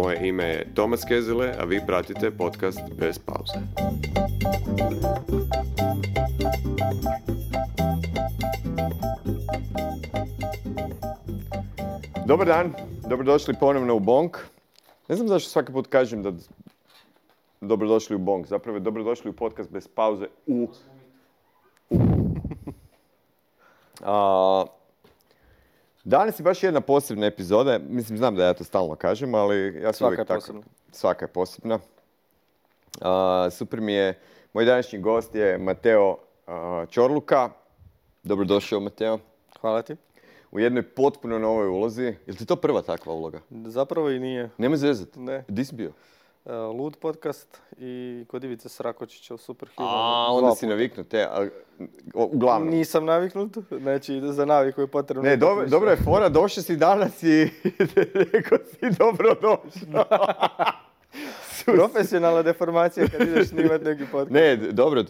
Moje ime je Tomas Kezele, a vi pratite podcast Bez pauze. Dobar dan, dobrodošli ponovno u Bonk. Ne znam zašto svaki put kažem da dobrodošli u Bonk, zapravo je dobrodošli u podcast Bez pauze Danas je baš jedna posebna epizoda, mislim znam da ja to stalno kažem, ali ja sam uvijek tako. Svaka je posebna. Super mi je, moj današnji gost je Mateo Ćorluka. Dobrodošao, Mateo. Hvala ti. U jednoj potpuno novoj ulozi. Je li ti to prva takva uloga? Zapravo i nije. Nemoj zezati. Ne. Gdje si bio? Lud podcast i kod Ivice Srakočića u Superhuman. Onda si naviknut, uglavnom. Nisam naviknut, znači za naviku je potrebno. Ne, dobro je fora, došao si danas i rekao si dobrodošao. Profesionalna deformacija kad ideš snimati neki podcast. Ne, dobro,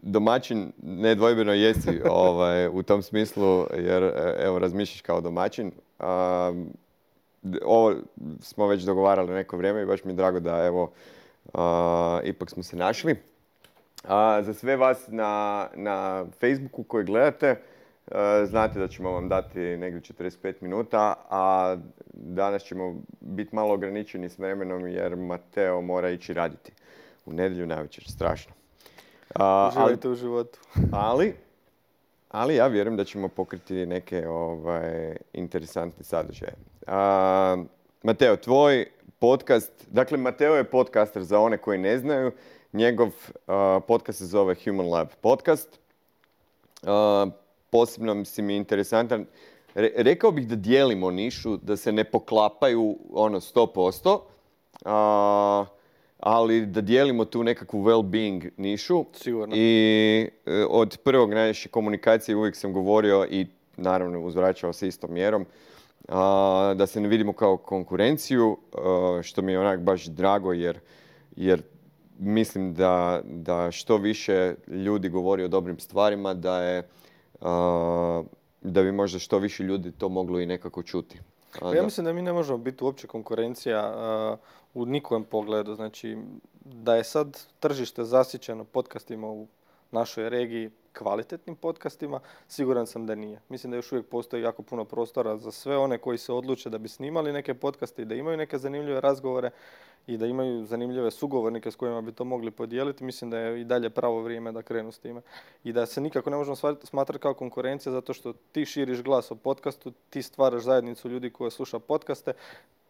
domaćin nedvojbeno jesi u tom smislu, jer evo razmišljaš kao domaćin. Ovo smo već dogovarali neko vrijeme i baš mi je drago da evo ipak smo se našli. Za sve vas na Facebooku koji gledate, znate da ćemo vam dati negdje 45 minuta, a danas ćemo biti malo ograničeni s vremenom jer Mateo mora ići raditi u nedjelju navečer, strašno. Uživajte u životu. Ali ja vjerujem da ćemo pokriti neke interesantne sadržaje. Mateo, tvoj podcast, dakle Mateo je podcaster za one koji ne znaju, njegov podcast se zove Human Lab podcast. Posebno si mi interesantan. Rekao bih da dijelimo nišu, da se ne poklapaju 100%, ali da dijelimo tu nekakvu well-being nišu. Sigurno. I od prvog naše komunikacije uvijek sam govorio i naravno uzvraćao se istom mjerom, da se ne vidimo kao konkurenciju, što mi je onak baš drago jer mislim da što više ljudi govori o dobrim stvarima, da bi možda što više ljudi to moglo i nekako čuti. Ja mislim da mi ne možemo biti uopće konkurencija u nikojem pogledu. Znači, da je sad tržište zasićeno podcastima u našoj regiji, kvalitetnim podcastima, siguran sam da nije. Mislim da još uvijek postoji jako puno prostora za sve one koji se odluče da bi snimali neke podcaste i da imaju neke zanimljive razgovore i da imaju zanimljive sugovornike s kojima bi to mogli podijeliti. Mislim da je i dalje pravo vrijeme da krenu s time. I da se nikako ne možemo smatrati kao konkurencija zato što ti širiš glas o podcastu, ti stvaraš zajednicu ljudi koji sluša podcaste.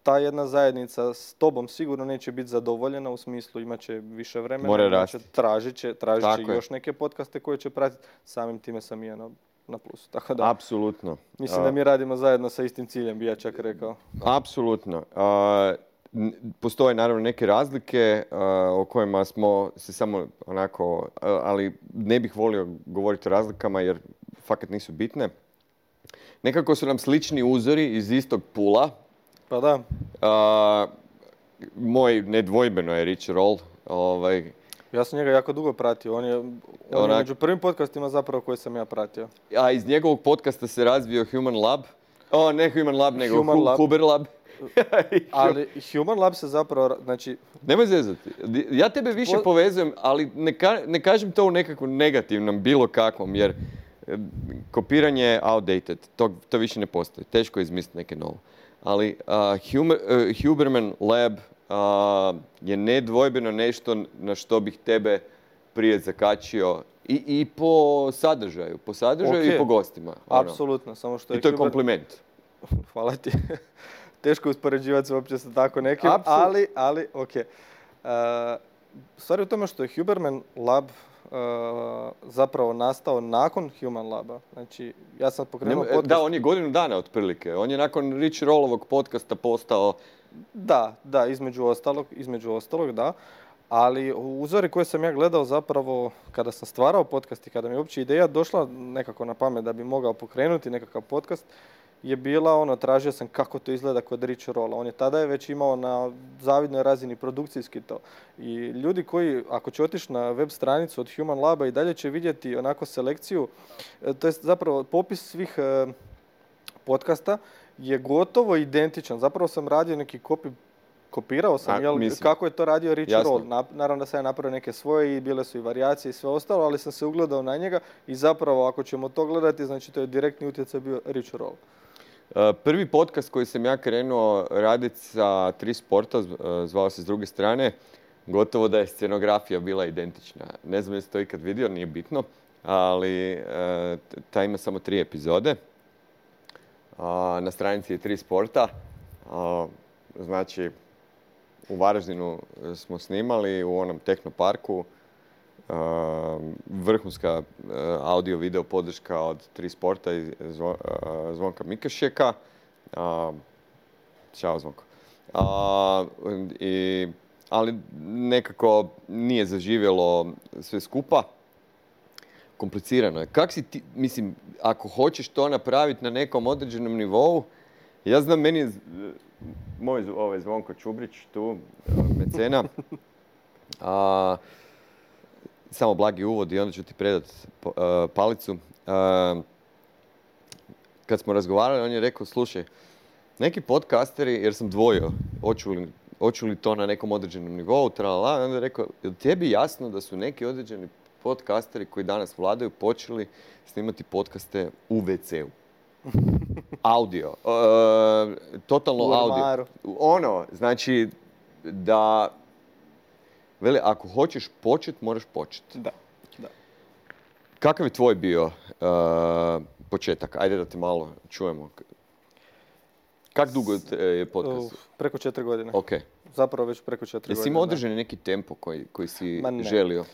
Ta jedna zajednica s tobom sigurno neće biti zadovoljena u smislu imat će više vremena, tražit će još neke podcaste koje će pratiti. Samim time sam i ja na plusu. Tako da, apsolutno. Mislim da mi radimo zajedno sa istim ciljem, bi ja čak rekao. Apsolutno. Postoje naravno neke razlike o kojima smo se samo onako, ali ne bih volio govoriti o razlikama jer fakat nisu bitne. Nekako su nam slični uzori iz istog pula. Pa da. Moj nedvojbeno je Rich Roll. Ja sam njega jako dugo pratio. On je među prvim podcastima zapravo koje sam ja pratio. A iz njegovog podcasta se razvio Human Lab. Ne Human Lab, nego Huber Lab. Ali Human Lab se zapravo, znači... Nemoj zezati. Ja tebe više povezujem, ali ne kažem to u nekakvom negativnom, bilo kakvom, jer kopiranje je outdated. To više ne postoji. Teško je izmisliti neke novo. Ali Huberman Lab je nedvojbeno nešto na što bih tebe prije zakačio i po sadržaju. Po sadržaju i po gostima. Apsolutno. Samo što I to je kompliment. Hvala ti. Teško je uspoređivati se uopće sa tako nekim, ali ok. Stvar je u tome što je Huberman Lab zapravo nastao nakon Human Laba. Znači, ja sam pokrenuo podcast... Da, on je godinu dana otprilike. On je nakon Rich Rollovog podcasta postao... Da, između ostalog, da. Ali uzori koje sam ja gledao zapravo kada sam stvarao podcast i kada mi je uopće ideja došla nekako na pamet da bi mogao pokrenuti nekakav podcast, je bila tražio sam kako to izgleda kod Rich Rolla. On je tada već imao na zavidnoj razini produkcijski to. I ljudi koji, ako će otići na web stranicu od Human Laba i dalje će vidjeti onako selekciju, to je zapravo popis svih podcasta je gotovo identičan. Zapravo sam radio neki kopirao sam, kako je to radio Richie Roll. Naravno da sam ja napravio neke svoje i bile su i varijacije i sve ostalo, ali sam se ugledao na njega i zapravo ako ćemo to gledati, znači to je direktni utjecaj bio Richie Roll. Prvi podcast koji sam ja krenuo raditi sa Tri sporta, zvao se S druge strane, gotovo da je scenografija bila identična. Ne znam jesi to ikad vidio, nije bitno, ali ta ima samo 3 epizode. Na stranici je Tri sporta. Znači, u Varaždinu smo snimali u onom Tehnoparku. Vrhunska audio-video podrška od Tri sporta i Zvonka Mikašeka. Ćao Zvonko. Ali nekako nije zaživjelo sve skupa. Komplicirano je. Kak si ti, mislim, ako hoćeš to napraviti na nekom određenom nivou, ja znam, meni je moj Zvonko Čubrić tu, mecena, samo blagi uvod i onda ću ti predati palicu. Kad smo razgovarali, on je rekao, slušaj, neki podcasteri, jer sam dvojio, hoću li to na nekom određenom nivou, tralala, onda je rekao, je li tebi jasno da su neki određeni podcasteri koji danas vladaju počeli snimati podcaste u WC-u? Audio. Totalno audio. Znači da vele, ako hoćeš početi, moraš početi. Da. Kakav je tvoj bio početak? Ajde da te malo čujemo. Kak dugo je podcast? Preko 4 godine. Ok. Zapravo već preko 4 godine. Jesi imao održani neki tempo koji si želio?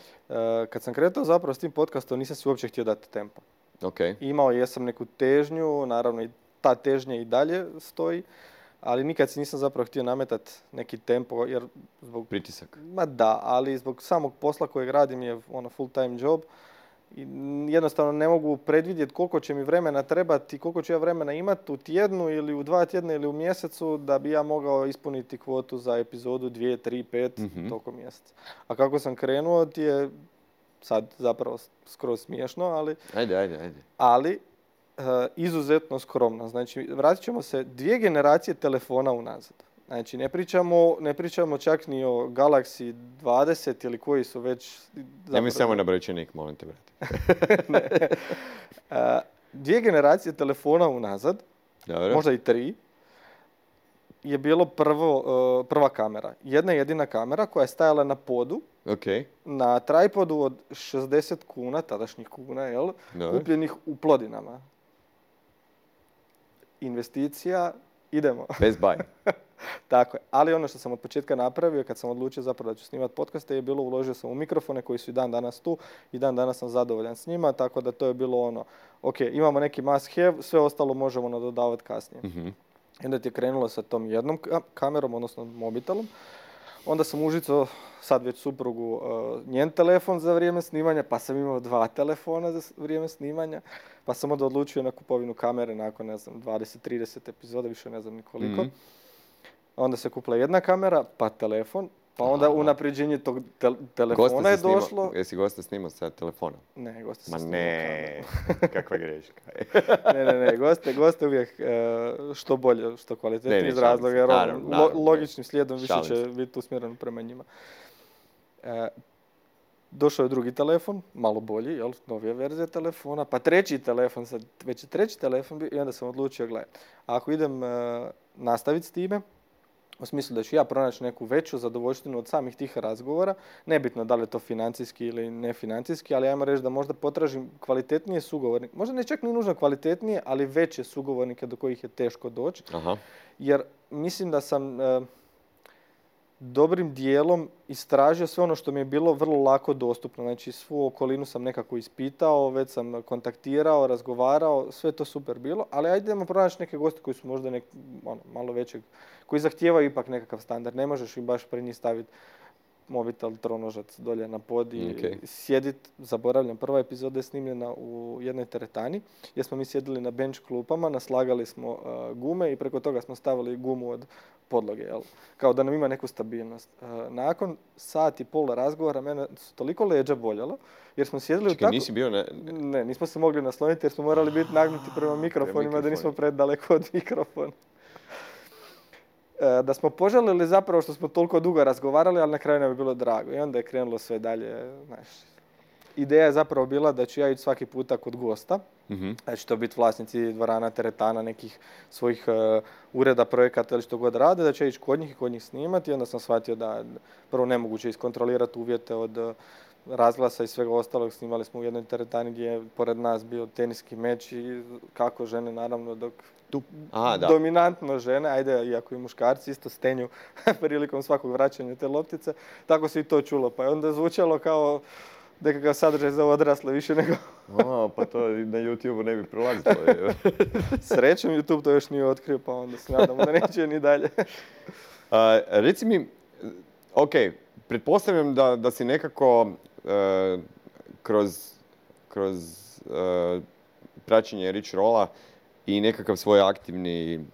Kad sam kretao zapravo s tim podcastom, nisam si uopće htio dati tempo. Okay. Imao jesam neku težnju, naravno i ta težnja i dalje stoji, ali nikad si nisam zapravo htio nametati neki tempo, jer zbog... Pritisak. Ma da, ali zbog samog posla kojeg radim je full time job. I jednostavno ne mogu predvidjeti koliko će mi vremena trebati i koliko ću ja vremena imati u tjednu ili u 2 tjedna ili u mjesecu da bi ja mogao ispuniti kvotu za epizodu 2, 3, 5 tokom mjeseca. A kako sam krenuo ti je sad zapravo skroz smiješno, ali... Ajde. Ali izuzetno skromno. Znači, vratit ćemo se 2 generacije telefona unazad. Znači, ne pričamo čak ni o Galaxy 20 ili koji su već... Nemoj samo na brojčanik, molim te, brate. 2 generacije telefona unazad, dobro, možda i 3, je bilo prva kamera. Jedna jedina kamera koja je stajala na podu, okay, na tripodu od 60 kuna, tadašnjih kuna, jel? Kupljenih u Plodinama. Investicija, idemo. Best buy. Tako je. Ali ono što sam od početka napravio, kad sam odlučio zapravo da ću snimati podcaste, je bilo uložio sam u mikrofone koji su i dan danas tu i dan danas sam zadovoljan s njima, tako da to je bilo ok, imamo neki must have, sve ostalo možemo nadodavati kasnije. Mm-hmm. I onda ti je krenulo sa tom jednom kamerom, odnosno mobitelom. Onda sam užicao sad već suprugu njen telefon za vrijeme snimanja, pa sam imao 2 telefona za vrijeme snimanja, pa sam onda odlučio na kupovinu kamere nakon, 20-30 epizoda, više ne znam ni koliko. Mm-hmm. Onda se kupila jedna kamera, pa telefon, pa onda unapređenje tog telefona je došlo. Jesi gosta snimao sa telefonom? Ne, gosta sam snimao kamerom. Kakva greška. ne, goste uvijek što bolje, što kvalitetnije iz razloga, jer logičnim slijedom više će biti usmjereno prema njima. Došao je drugi telefon, malo bolji, novija verzija telefona, pa treći telefon, sad već je treći telefon bio i onda sam odlučio, gledaj, ako idem nastaviti s time, u smislu da ću ja pronaći neku veću zadovoljštinu od samih tih razgovora, nebitno da li je to financijski ili nefinancijski, ali ajmo reći da možda potražim kvalitetnije sugovornike, možda ne čak ni nužno kvalitetnije, ali veće sugovornike do kojih je teško doći, jer mislim da sam dobrim dijelom istražio sve ono što mi je bilo vrlo lako dostupno. Znači, svu okolinu sam nekako ispitao, već sam kontaktirao, razgovarao, sve to super bilo, ali ajdemo pronaći neke goste koji su možda malo većeg, koji zahtijevaju ipak nekakav standard. Ne možeš im baš pri njih staviti mobitel, tronožac dolje na pod i sjediti. Zaboravljam, prva epizoda je snimljena u jednoj teretani, gdje smo mi sjedili na bench klupama, naslagali smo gume i preko toga smo stavili gumu od podloge, jel? Kao da nam ima neku stabilnost. Nakon sat i pol razgovora mene su toliko leđa boljela, jer smo sjedili u tako... nisi bio na... Ne, nismo se mogli nasloniti jer smo morali biti nagnuti prema mikrofonima, da nismo predaleko od mikrofona. da smo požalili zapravo što smo toliko dugo razgovarali, ali na kraju nam je bilo drago. I onda je krenulo sve dalje. Znaš, ideja je zapravo bila da ću ja ići svaki puta kod gosta. Da će to biti vlasnici dvorana, teretana, nekih svojih ureda, projekata ili što god rade, da će ići kod njih i kod njih snimati. I onda sam shvatio da prvo nemoguće iskontrolirati uvjete od razglasa i svega ostalog. Snimali smo u jednoj teretani gdje je pored nas bio teniski meč i kako žene, naravno, dok dominantno žene, ajde, iako i muškarci isto stenju prilikom svakog vraćanja te loptice, tako se i to čulo. Pa je onda zvučalo kao nekakav sadržaj za odrasle više nego... Pa to na YouTube-u ne bi prolazilo. Srećom, YouTube to još nije otkrio, pa onda se nadamo da neće ni dalje. Reci mi, ok, pretpostavljam da si nekako kroz praćenje Rich Rolla i nekakav svoj aktivni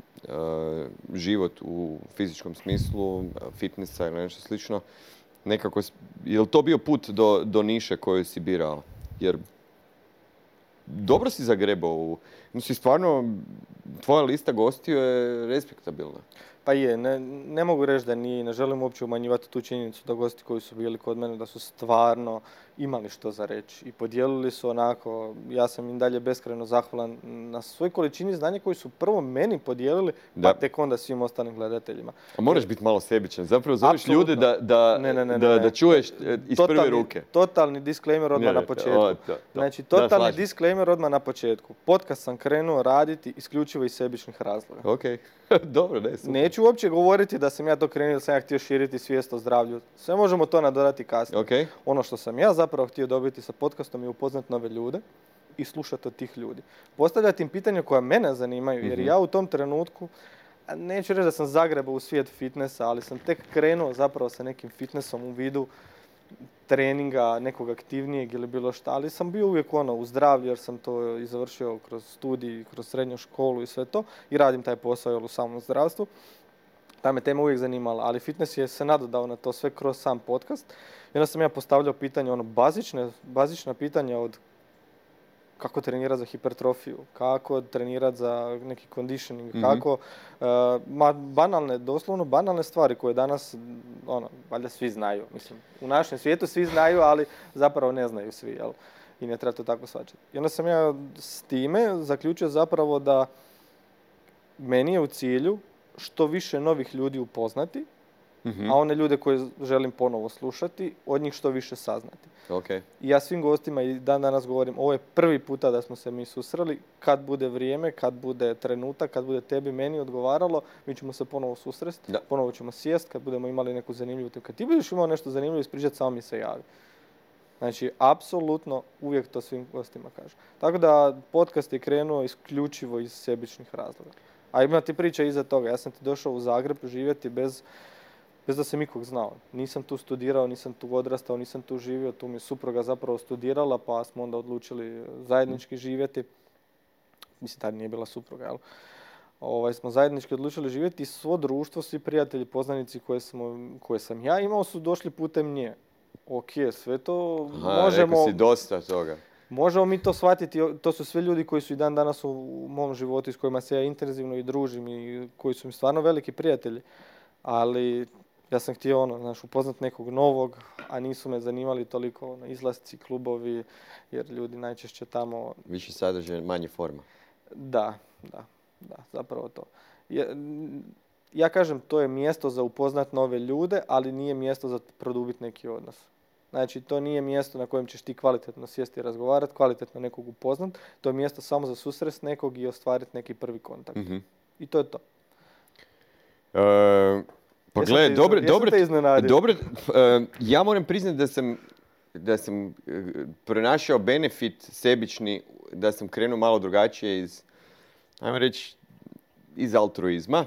život u fizičkom smislu, fitnessa ili nešto slično, nekako, je li to bio put do niše koju si birao? Jer dobro si zagrebao mislim, stvarno, tvoja lista gostiju je respektabilna. Pa je, ne mogu reći da nije, ne želim uopće umanjivati tu činjenicu da gosti koji su bili kod mene, da su stvarno imali što za reći i podijelili su onako, ja sam im dalje beskrajno zahvalan na svoj količini znanja koji su prvo meni podijelili, pa tek onda svim ostalim gledateljima. A moraš biti malo sebičan, zapravo zoveš ljude da čuješ iz prve ruke. Totalni disclaimer odmah na početku. Znači, totalni disclaimer odmah na početku. Podcast sam krenuo raditi isključivo iz sebičnih razloga. Ok, dobro, ne, super. Neću uopće govoriti da sam ja to krenuo, da sam ja htio širiti svijest o zdravlju. Sve možemo to nadodati kasnije. Okay. Ono što sam ja zapravo htio dobiti sa podcastom je upoznat nove ljude i slušati od tih ljudi. Postavljati im pitanja koja mene zanimaju, jer ja u tom trenutku, neću reći da sam zagrebao u svijet fitnessa, ali sam tek krenuo zapravo sa nekim fitnessom u vidu treninga, nekog aktivnijeg ili bilo šta, ali sam bio uvijek u zdravlju jer sam to i završio kroz studij, kroz srednju školu i sve to i radim taj posao u samom zdravstvu. Ta me tema uvijek zanimala, ali fitness je se nadodao na to sve kroz sam podcast. I onda sam ja postavljao pitanje, bazična pitanja od kako trenirati za hipertrofiju, kako trenirati za neki conditioning, kako, doslovno banalne stvari koje danas, valjda svi znaju. Mislim, u našem svijetu svi znaju, ali zapravo ne znaju svi, jel? I ne treba to tako shvaćati. I onda sam ja s time zaključio zapravo da meni je u cilju što više novih ljudi upoznati, a one ljude koje želim ponovo slušati, od njih što više saznati. Okay. I ja svim gostima i danas govorim, ovo je prvi puta da smo se mi susreli, kad bude vrijeme, kad bude trenutak, kad bude tebi, meni odgovaralo, mi ćemo se ponovo susresti, ponovo ćemo sjest, kad budemo imali neku zanimljivu temu. Kad ti budeš imao nešto zanimljivo ispričati, samo mi se javi. Znači, apsolutno uvijek to svim gostima kažem. Tako da podcast je krenuo isključivo iz sebičnih razloga. A ima ti priča iza toga. Ja sam ti došao u Zagreb živjeti bez da sam ikog znao. Nisam tu studirao, nisam tu odrastao, nisam tu živio. Tu mi je supruga zapravo studirala, pa smo onda odlučili zajednički živjeti. Mislim, tad nije bila supruga, jel? Smo zajednički odlučili živjeti i svo društvo, svi prijatelji, poznanici koje sam ja imao su došli putem nje. Ok, sve to možemo... Rekao si dosta toga. Možemo mi to shvatiti, to su sve ljudi koji su i dan danas u mom životu i s kojima se ja intenzivno i družim i koji su mi stvarno veliki prijatelji. Ali ja sam htio upoznat nekog novog, a nisu me zanimali toliko izlasci, klubovi, jer ljudi najčešće tamo... Više sadržaj, manje forma. Da, zapravo to. Ja kažem, to je mjesto za upoznat nove ljude, ali nije mjesto za produbiti neki odnos. Znači, to nije mjesto na kojem ćeš ti kvalitetno sjesti i razgovarati, kvalitetno nekog upoznat. To je mjesto samo za susrest nekog i ostvariti neki prvi kontakt. I to je to. Pa gledaj, dobro, ja moram priznati da sam pronašao benefit sebični, da sam krenuo malo drugačije ajmo reći, iz altruizma.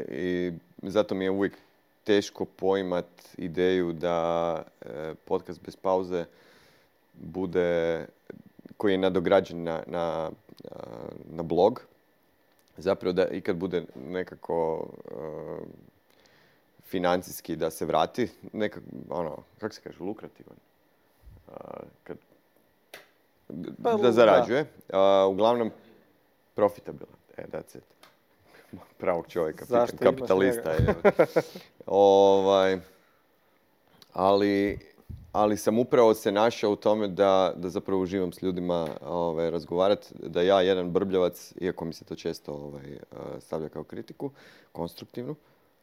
I zato mi je uvijek teško poimat ideju da podcast bez pauze bude, koji je nadograđen na blog. Zapravo da ikad bude nekako financijski da se vrati, kako se kaže, lukrativan. Da zarađuje. Uglavnom, profitabilan. That's it. Pravog čovjeka, Zašto pitam, kapitalista je. Ali sam upravo se našao u tome da zapravo uživam s ljudima razgovarati, da ja, jedan brbljavac, iako mi se to često stavlja kao kritiku, konstruktivnu,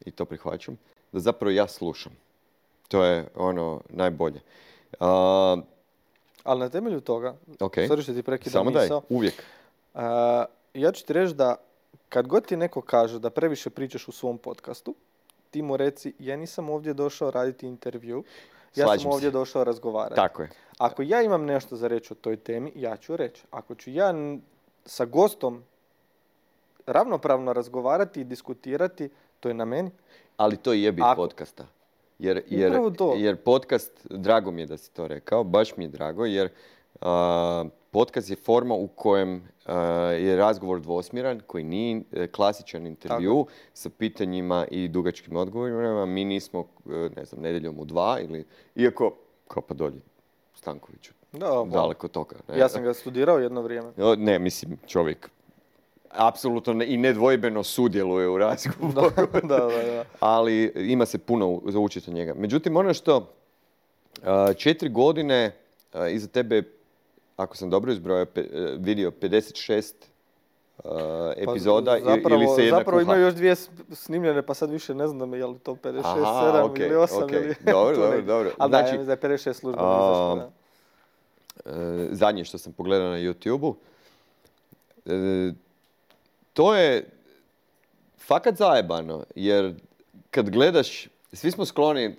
i to prihvaćam, da zapravo ja slušam. To je ono najbolje. Ali na temelju toga, sorry što ti prekidam samo misao, daj, uvijek. Ja ću ti reći da kad god ti neko kaže da previše pričaš u svom podcastu, ti mu reci, ja nisam ovdje došao raditi intervju, ja sam ovdje došao razgovarati. Tako je. Ako ja imam nešto za reći o toj temi, ja ću reći. Ako ću ja sa gostom ravnopravno razgovarati i diskutirati, to je na meni. Ali to je bit podcasta. Jer podcast, drago mi je da si to rekao, baš mi je drago, jer podcast je forma u kojem je razgovor dvosmjeran, koji nije klasičan intervju sa pitanjima i dugačkim odgovorima. Mi nismo, ne znam, nedjeljom u 2 ili, iako, kao pa dolje, Stankoviću, daleko toga. Ne? Ja sam ga studirao jedno vrijeme. Ne, mislim, čovjek apsolutno i nedvojbeno sudjeluje u razgovoru. Da. Ali ima se puno za učiti od njega. Međutim, ono što 4 godine iza tebe, ako sam dobro izbrojao, vidio 56 epizoda ili se jedna zapravo imaju još 2 snimljene, pa sad više ne znam je li to 56, 7 ili 8 ili... Dobro. Ali znači, da je 56 službeno izašlo. Zadnje što sam pogledao na YouTube-u, to je fakat zajebano, jer kad gledaš, svi smo skloni,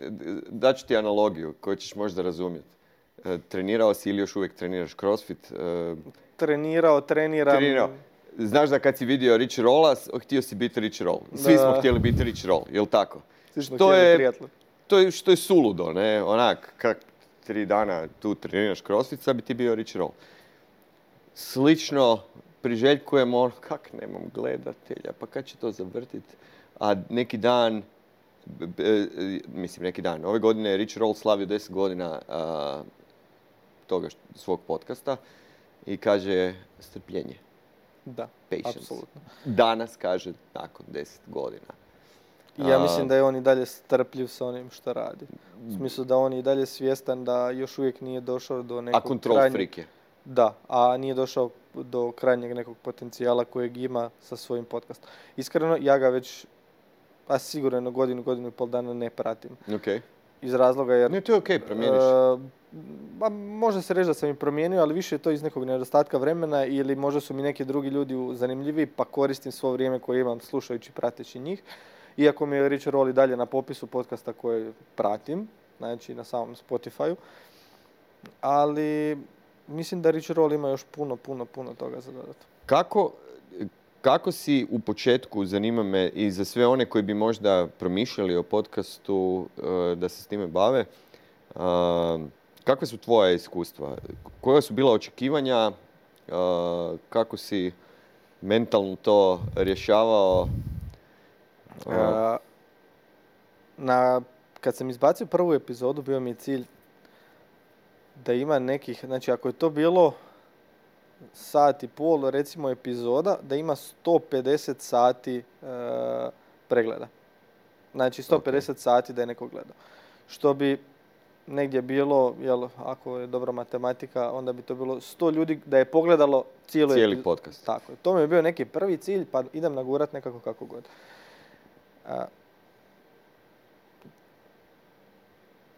daću ti analogiju koju ćeš možda razumjeti. Trenirao si ili još uvijek treniraš CrossFit? Treniram. Znaš da kad si vidio Rich Rolla, htio si biti Rich Roll. Svi smo htjeli biti Rich Roll, jel tako? Svi smo htjeli triatlon. Što je suludo, ne? Onak, kak 3 dana tu treniraš CrossFit, sad bi ti bio Rich Roll. Slično priželjkujemo, kak nemam gledatelja, pa kad će to zavrtiti? A neki dan, ove godine je Rich Roll slavio 10 godina toga svog podcasta i kaže strpljenje. Da, patience. Apsolutno. Danas kaže nakon 10 godina. Ja mislim da je on i dalje strpljiv sa onim što radi. U smislu da on je i dalje svjestan da još uvijek nije došao do nekog control freak je. Da, a nije došao do krajnjeg nekog potencijala kojeg ima sa svojim podcastom. Iskreno, ja ga već sigurno godinu i pol dana ne pratim. Okay. Iz razloga jer... Ne, to je okej, promijeniš. Može se reći da sam i promijenio, ali više je to iz nekog nedostatka vremena ili možda su mi neki drugi ljudi zanimljivi pa koristim svo vrijeme koje imam slušajući, prateći njih. Iako mi je Rich Roll i dalje na popisu podcasta koje pratim, znači na samom Spotify-u. Ali mislim da Rich Roll ima još puno toga za dodati. Kako si u početku, zanima me i za sve one koji bi možda promišljali o podcastu da se s time bave, kakve su tvoja iskustva? Koja su bila očekivanja? Kako si mentalno to rješavao? Kad sam izbacio prvu epizodu, bio mi je cilj da ima nekih, znači ako je to bilo 1,5 sata, recimo epizoda, da ima 150 sati pregleda. Znači 150 sati da je neko gledao. Što bi negdje bilo, ako je dobra matematika, onda bi to bilo 100 ljudi da je pogledalo cijeli podcast. Tako je. To mi je bio neki prvi cilj, pa idem nagurat nekako kako god.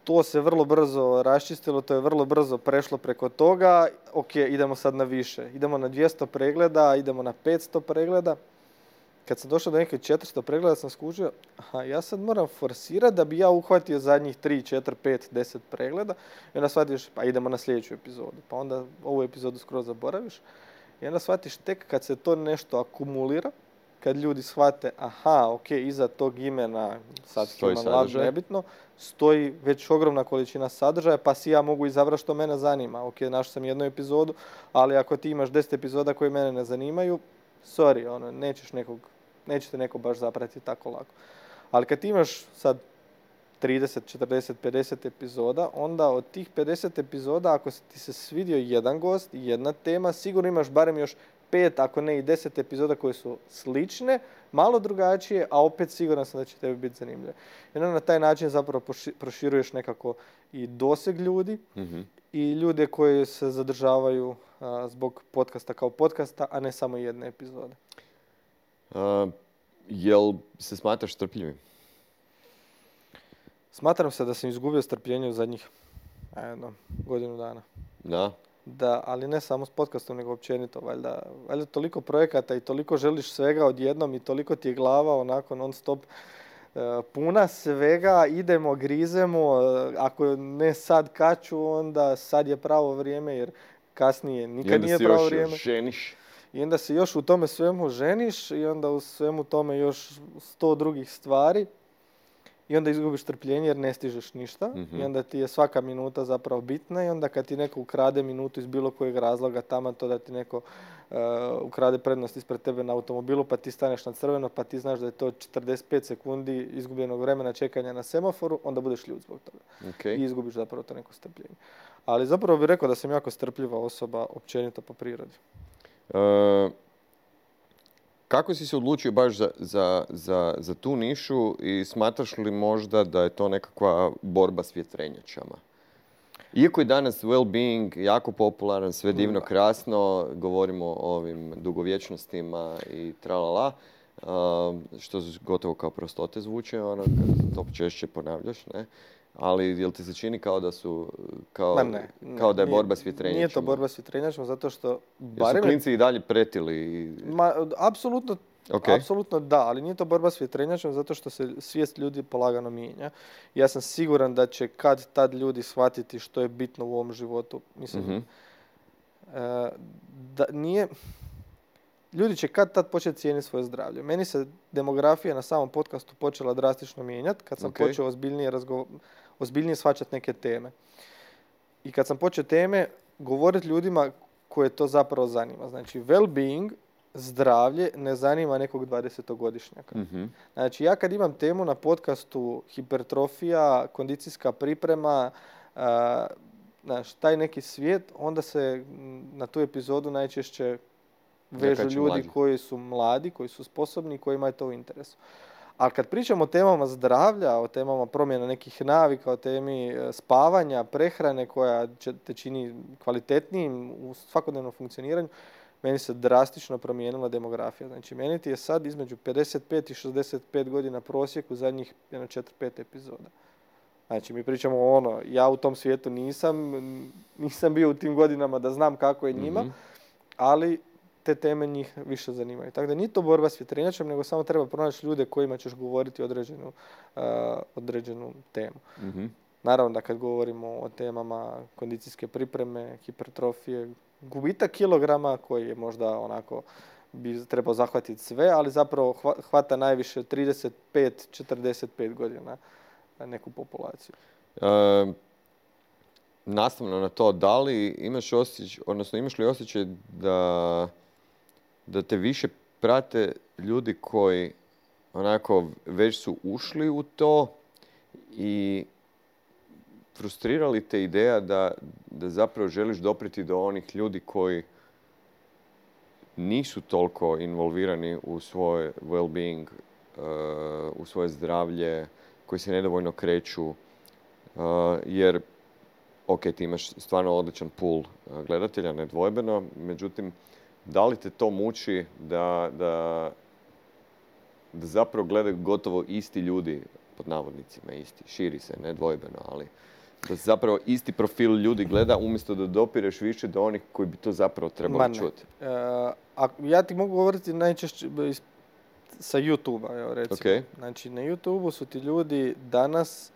To se vrlo brzo raščistilo, to je vrlo brzo prešlo preko toga. Ok, idemo sad na više. Idemo na 200 pregleda, idemo na 500 pregleda. Kad sam došao do neke 400 pregleda sam skužio, ja sad moram forsirati da bi ja uhvatio zadnjih 3, 4, 5, 10 pregleda. I onda shvatiš, pa idemo na sljedeću epizodu. Pa onda ovu epizodu skroz zaboraviš. I onda shvatiš tek kad se to nešto akumulira, kad ljudi shvate, iza tog imena, sad nebitno, stoji već ogromna količina sadržaja, pa si ja mogu izabrati što mene zanima. Ok, našao sam jednu epizodu, ali ako ti imaš 10 epizoda koje mene ne zanimaju, nećete neko baš zapratiti tako lako. Ali kad ti imaš sad 30, 40, 50 epizoda, onda od tih 50 epizoda, ako ti se svidio jedan gost i jedna tema, sigurno imaš barem još 5, ako ne i 10 epizoda koje su slične, malo drugačije, a opet siguran sam da će tebi biti zanimljivo. I onda na taj način zapravo proširuješ nekako i doseg ljudi i ljude koji se zadržavaju zbog podcasta kao podcasta, a ne samo jedne epizode. Jel se smatraš strpljivim? Smatram se da sam izgubio strpljenje u zadnjih godinu dana. Da? Da, ali ne samo s podcastom, nego općenito. Valjda toliko projekata i toliko želiš svega odjednom i toliko ti je glava onako non stop puna svega, idemo, grizemo, ako ne sad kaču, onda sad je pravo vrijeme, jer kasnije nikad nije pravo vrijeme. I onda se još ženiš. I onda se još u tome svemu ženiš i onda u svemu tome još 100 drugih stvari. I onda izgubiš trpljenje jer ne stižeš ništa. I onda ti je svaka minuta zapravo bitna i onda kad ti neko ukrade minutu iz bilo kojeg razloga, taman to da ti neko ukrade prednost ispred tebe na automobilu pa ti staneš na crveno pa ti znaš da je to 45 sekundi izgubljenog vremena čekanja na semaforu, onda budeš ljud zbog toga. Okay. I izgubiš zapravo to neko strpljenje. Ali zapravo bih rekao da sam jako strpljiva osoba općenito po prirodi. Kako si se odlučio baš za tu nišu i smatraš li možda da je to nekakva borba s vjetrenjačama? Iako je danas well-being jako popularan, sve divno, krasno, govorimo o ovim dugovječnostima i tralala, što gotovo kao prostote zvuče, ono, kad to češće ponavljaš, ne? Ali jel ti se čini kao da su, kao da je borba s vjetrenjačama? Nije to borba s vjetrenjačama, zato što... Jer su klinci i dalje pretili? Apsolutno, apsolutno da, ali nije to borba s vjetrenjačama, zato što se svijest ljudi polagano mijenja. Ja sam siguran da će kad tad ljudi shvatiti što je bitno u ovom životu. Mislim, da nije... Ljudi će kad tad početi cijeniti svoje zdravlje. Meni se demografija na samom podcastu počela drastično mijenjati kad sam počeo ozbiljnije shvaćati neke teme. I kad sam počeo teme govoriti ljudima koje to zapravo zanima. Znači, well-being, zdravlje, ne zanima nekog 20-godišnjaka. Znači, ja kad imam temu na podcastu hipertrofija, kondicijska priprema, taj neki svijet, onda se na tu epizodu najčešće vežu ljudi koji su mladi, koji su sposobni i koji imaju to u interesu. Ali kad pričamo o temama zdravlja, o temama promjena nekih navika, o temi spavanja, prehrane koja te čini kvalitetnijim u svakodnevnom funkcioniranju, meni se drastično promijenila demografija. Znači, meni ti je sad između 55 i 65 godina prosjek u zadnjih 4-5 epizoda. Znači, mi pričamo ja u tom svijetu nisam bio u tim godinama da znam kako je njima, ali te teme njih više zanimaju. Tako da nije to borba s vjetrenjačem, nego samo treba pronaći ljude kojima ćeš govoriti određenu temu. Naravno da kad govorimo o temama kondicijske pripreme, hipertrofije, gubitak kilograma koji je možda onako bi trebao zahvatiti sve, ali zapravo hvata najviše 35-45 godina neku populaciju. Nastavno na to, da li imaš li osjećaj da te više prate ljudi koji onako već su ušli u to i frustrirali te ideja da zapravo želiš doprijeti do onih ljudi koji nisu toliko involvirani u svoj well-being, u svoje zdravlje, koji se nedovoljno kreću, jer ti imaš stvarno odličan pool gledatelja, nedvojbeno, međutim, da li te to muči da zapravo gledaju gotovo isti ljudi, pod navodnicima isti, širi se, nedvojbeno, ali da zapravo isti profil ljudi gleda umjesto da dopireš više do onih koji bi to zapravo trebali čuti? Ja ti mogu govoriti najčešće sa YouTube-a, recimo. Okay. Znači, na YouTube-u su ti ljudi danas...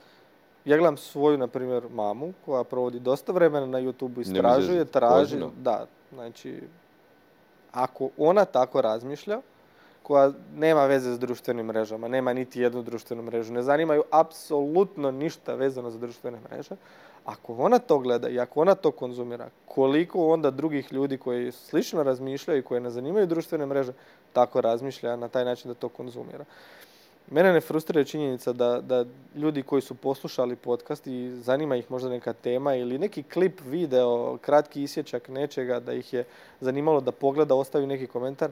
Ja gledam svoju, na primjer, mamu koja provodi dosta vremena na YouTube-u, istražuje, traži. Da, znači, ako ona tako razmišlja, koja nema veze s društvenim mrežama, nema niti jednu društvenu mrežu, ne zanimaju apsolutno ništa vezano za društvene mreže, ako ona to gleda i ako ona to konzumira, koliko onda drugih ljudi koji slično razmišljaju i koji ne zanimaju društvene mreže, tako razmišlja na taj način da to konzumira. Mene ne frustrira činjenica da ljudi koji su poslušali podcast i zanima ih možda neka tema ili neki klip, video, kratki isječak nečega, da ih je zanimalo da pogleda, ostavi neki komentar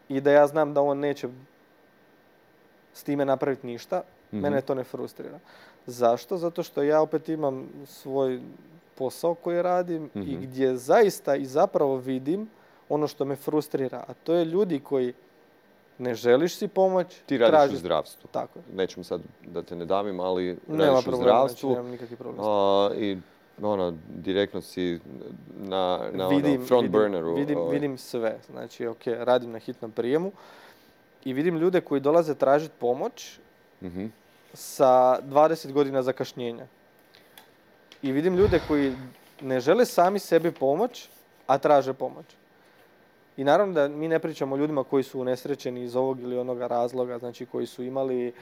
i da ja znam da on neće s time napraviti ništa, mene to ne frustrira. Zašto? Zato što ja opet imam svoj posao koji radim i gdje zaista i zapravo vidim ono što me frustrira, a to je ljudi koji ne želiš si pomoć, ti radiš u zdravstvu. Tako. Nećemo sad da te ne davim, ali nema radiš u zdravstvu. Nemam nikakvi problem. I direktno si na front burneru. Vidim sve. Znači, radim na hitnom prijemu i vidim ljude koji dolaze tražiti pomoć sa 20 godina zakašnjenja. I vidim ljude koji ne žele sami sebi pomoć, a traže pomoć. I naravno da mi ne pričamo o ljudima koji su unesrećeni iz ovog ili onoga razloga, znači koji su imali,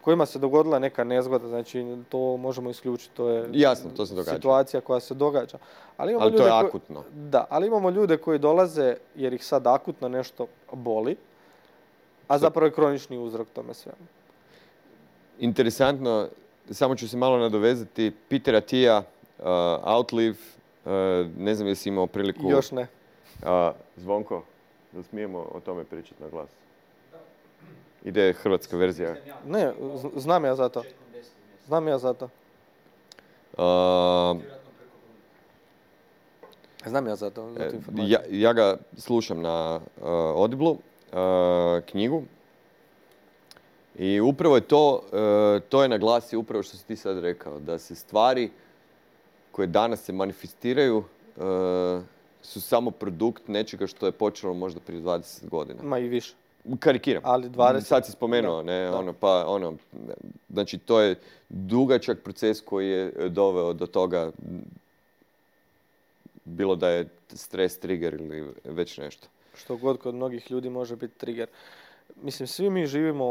kojima se dogodila neka nezgoda, znači to možemo isključiti, to je jasno, to se događa. Situacija koja se događa. Ali to je akutno. Da, ali imamo ljude koji dolaze jer ih sad akutno nešto boli, a zapravo je kronični uzrok tome svemu. Interesantno, samo ću se malo nadovezati, Peter Attia, Outlive, ne znam jesi imao priliku... Još ne. Zvonko, da smijemo o tome pričati na glas? Ide hrvatska verzija. Ne, znam ja za to. Znam ja za to. Ja ga slušam na Audible, knjigu. I upravo je to je naglasio upravo što si ti sad rekao, da se stvari koje danas se manifestiraju su samo produkt nečega što je počelo možda prije 20 godina. Ma i više. Karikiram. Ali 20... Sad si spomenuo, znači to je dugačak proces koji je doveo do toga, bilo da je stres trigger ili već nešto. Što god kod mnogih ljudi može biti trigger. Mislim, svi mi živimo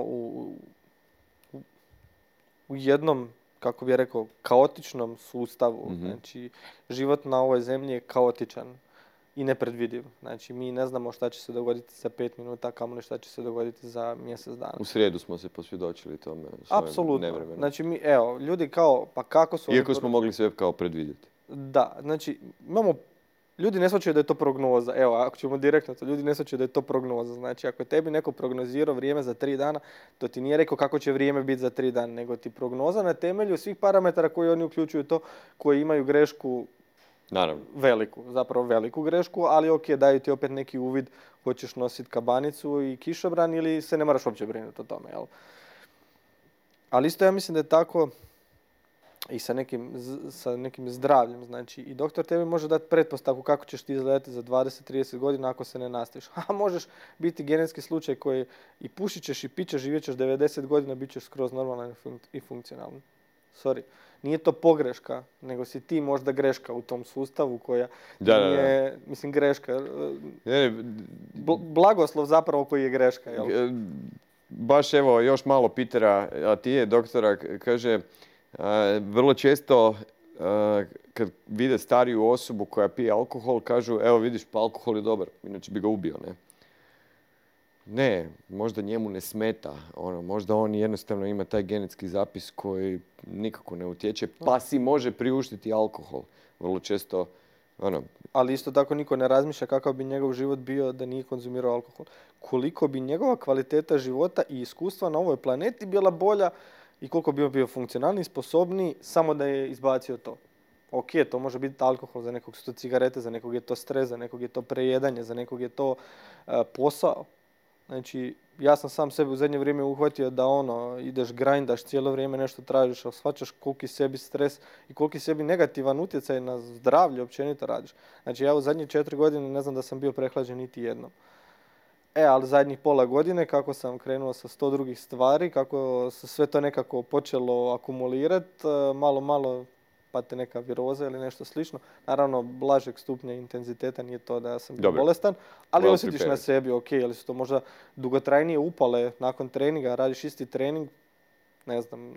u jednom, kako bih rekao, kaotičnom sustavu. Znači, život na ovoj zemlji je kaotičan i nepredvidiv. Znači, mi ne znamo šta će se dogoditi za 5 minuta, kamoli šta će se dogoditi za mjesec dana. U srijedu smo se posvjedočili tome. Apsolutno. Znači, ljudi kao, pa kako su... Iako smo mogli sve kao predvidjeti. Da, znači, ljudi ne shvaćaju da je to prognoza. Evo, ako ćemo direktno to, ljudi ne shvaćaju da je to prognoza. Znači, ako je tebi neko prognozirao vrijeme za 3 dana, to ti nije rekao kako će vrijeme biti za 3 dana, nego ti prognoza na temelju svih parametara koji oni uključuju to, koji imaju grešku. Naravno. Veliku grešku, ali daju ti opet neki uvid, hoćeš nositi kabanicu i kišobran ili se ne moraš uopće brinuti o tome, jel? Ali isto ja mislim da je tako i sa nekim zdravljem, znači i doktor tebi može dati pretpostavku kako ćeš ti izgledati za 20-30 godina ako se ne nastaviš. A možeš biti genetski slučaj koji i pušit ćeš i pićeš, živjet ćeš 90 godina, bit ćeš skroz normalan i funkcionalan. Sorry. Nije to pogreška, nego si ti možda greška u tom sustavu koja nije, mislim, greška. Blagoslov zapravo koji je greška, jel? Baš evo, još malo Petera Attije, doktora, kaže, vrlo često kad vide stariju osobu koja pije alkohol, kažu, evo vidiš, pa alkohol je dobar, inače bi ga ubio, ne? Ne, možda njemu ne smeta, možda on jednostavno ima taj genetski zapis koji nikako ne utječe, pa si može priuštiti alkohol. Vrlo često, Ali isto tako niko ne razmišlja kakav bi njegov život bio da nije konzumirao alkohol. Koliko bi njegova kvaliteta života i iskustva na ovoj planeti bila bolja i koliko bi bio funkcionalniji, sposobniji, samo da je izbacio to. Ok, to može biti alkohol, za nekog su to cigarete, za nekog je to stres, za nekog je to prejedanje, za nekog je to posao. Znači, ja sam sam sebi u zadnje vrijeme uhvatio da ideš grindaš, cijelo vrijeme nešto tražiš, ali shvaćaš koliki sebi stres i koliki sebi negativan utjecaj na zdravlje općenito radiš. Znači, ja u zadnje 4 godine ne znam da sam bio prehlađen niti jednom. Ali zadnjih pola godine, kako sam krenuo sa 100 drugih stvari, kako se sve to nekako počelo akumulirati, malo pa te neka viroza ili nešto slično. Naravno, blažeg stupnja intenziteta, nije to da sam bio bolestan, ali osjetiš na sebi, ali su to možda dugotrajnije upale nakon treninga, radiš isti trening, ne znam,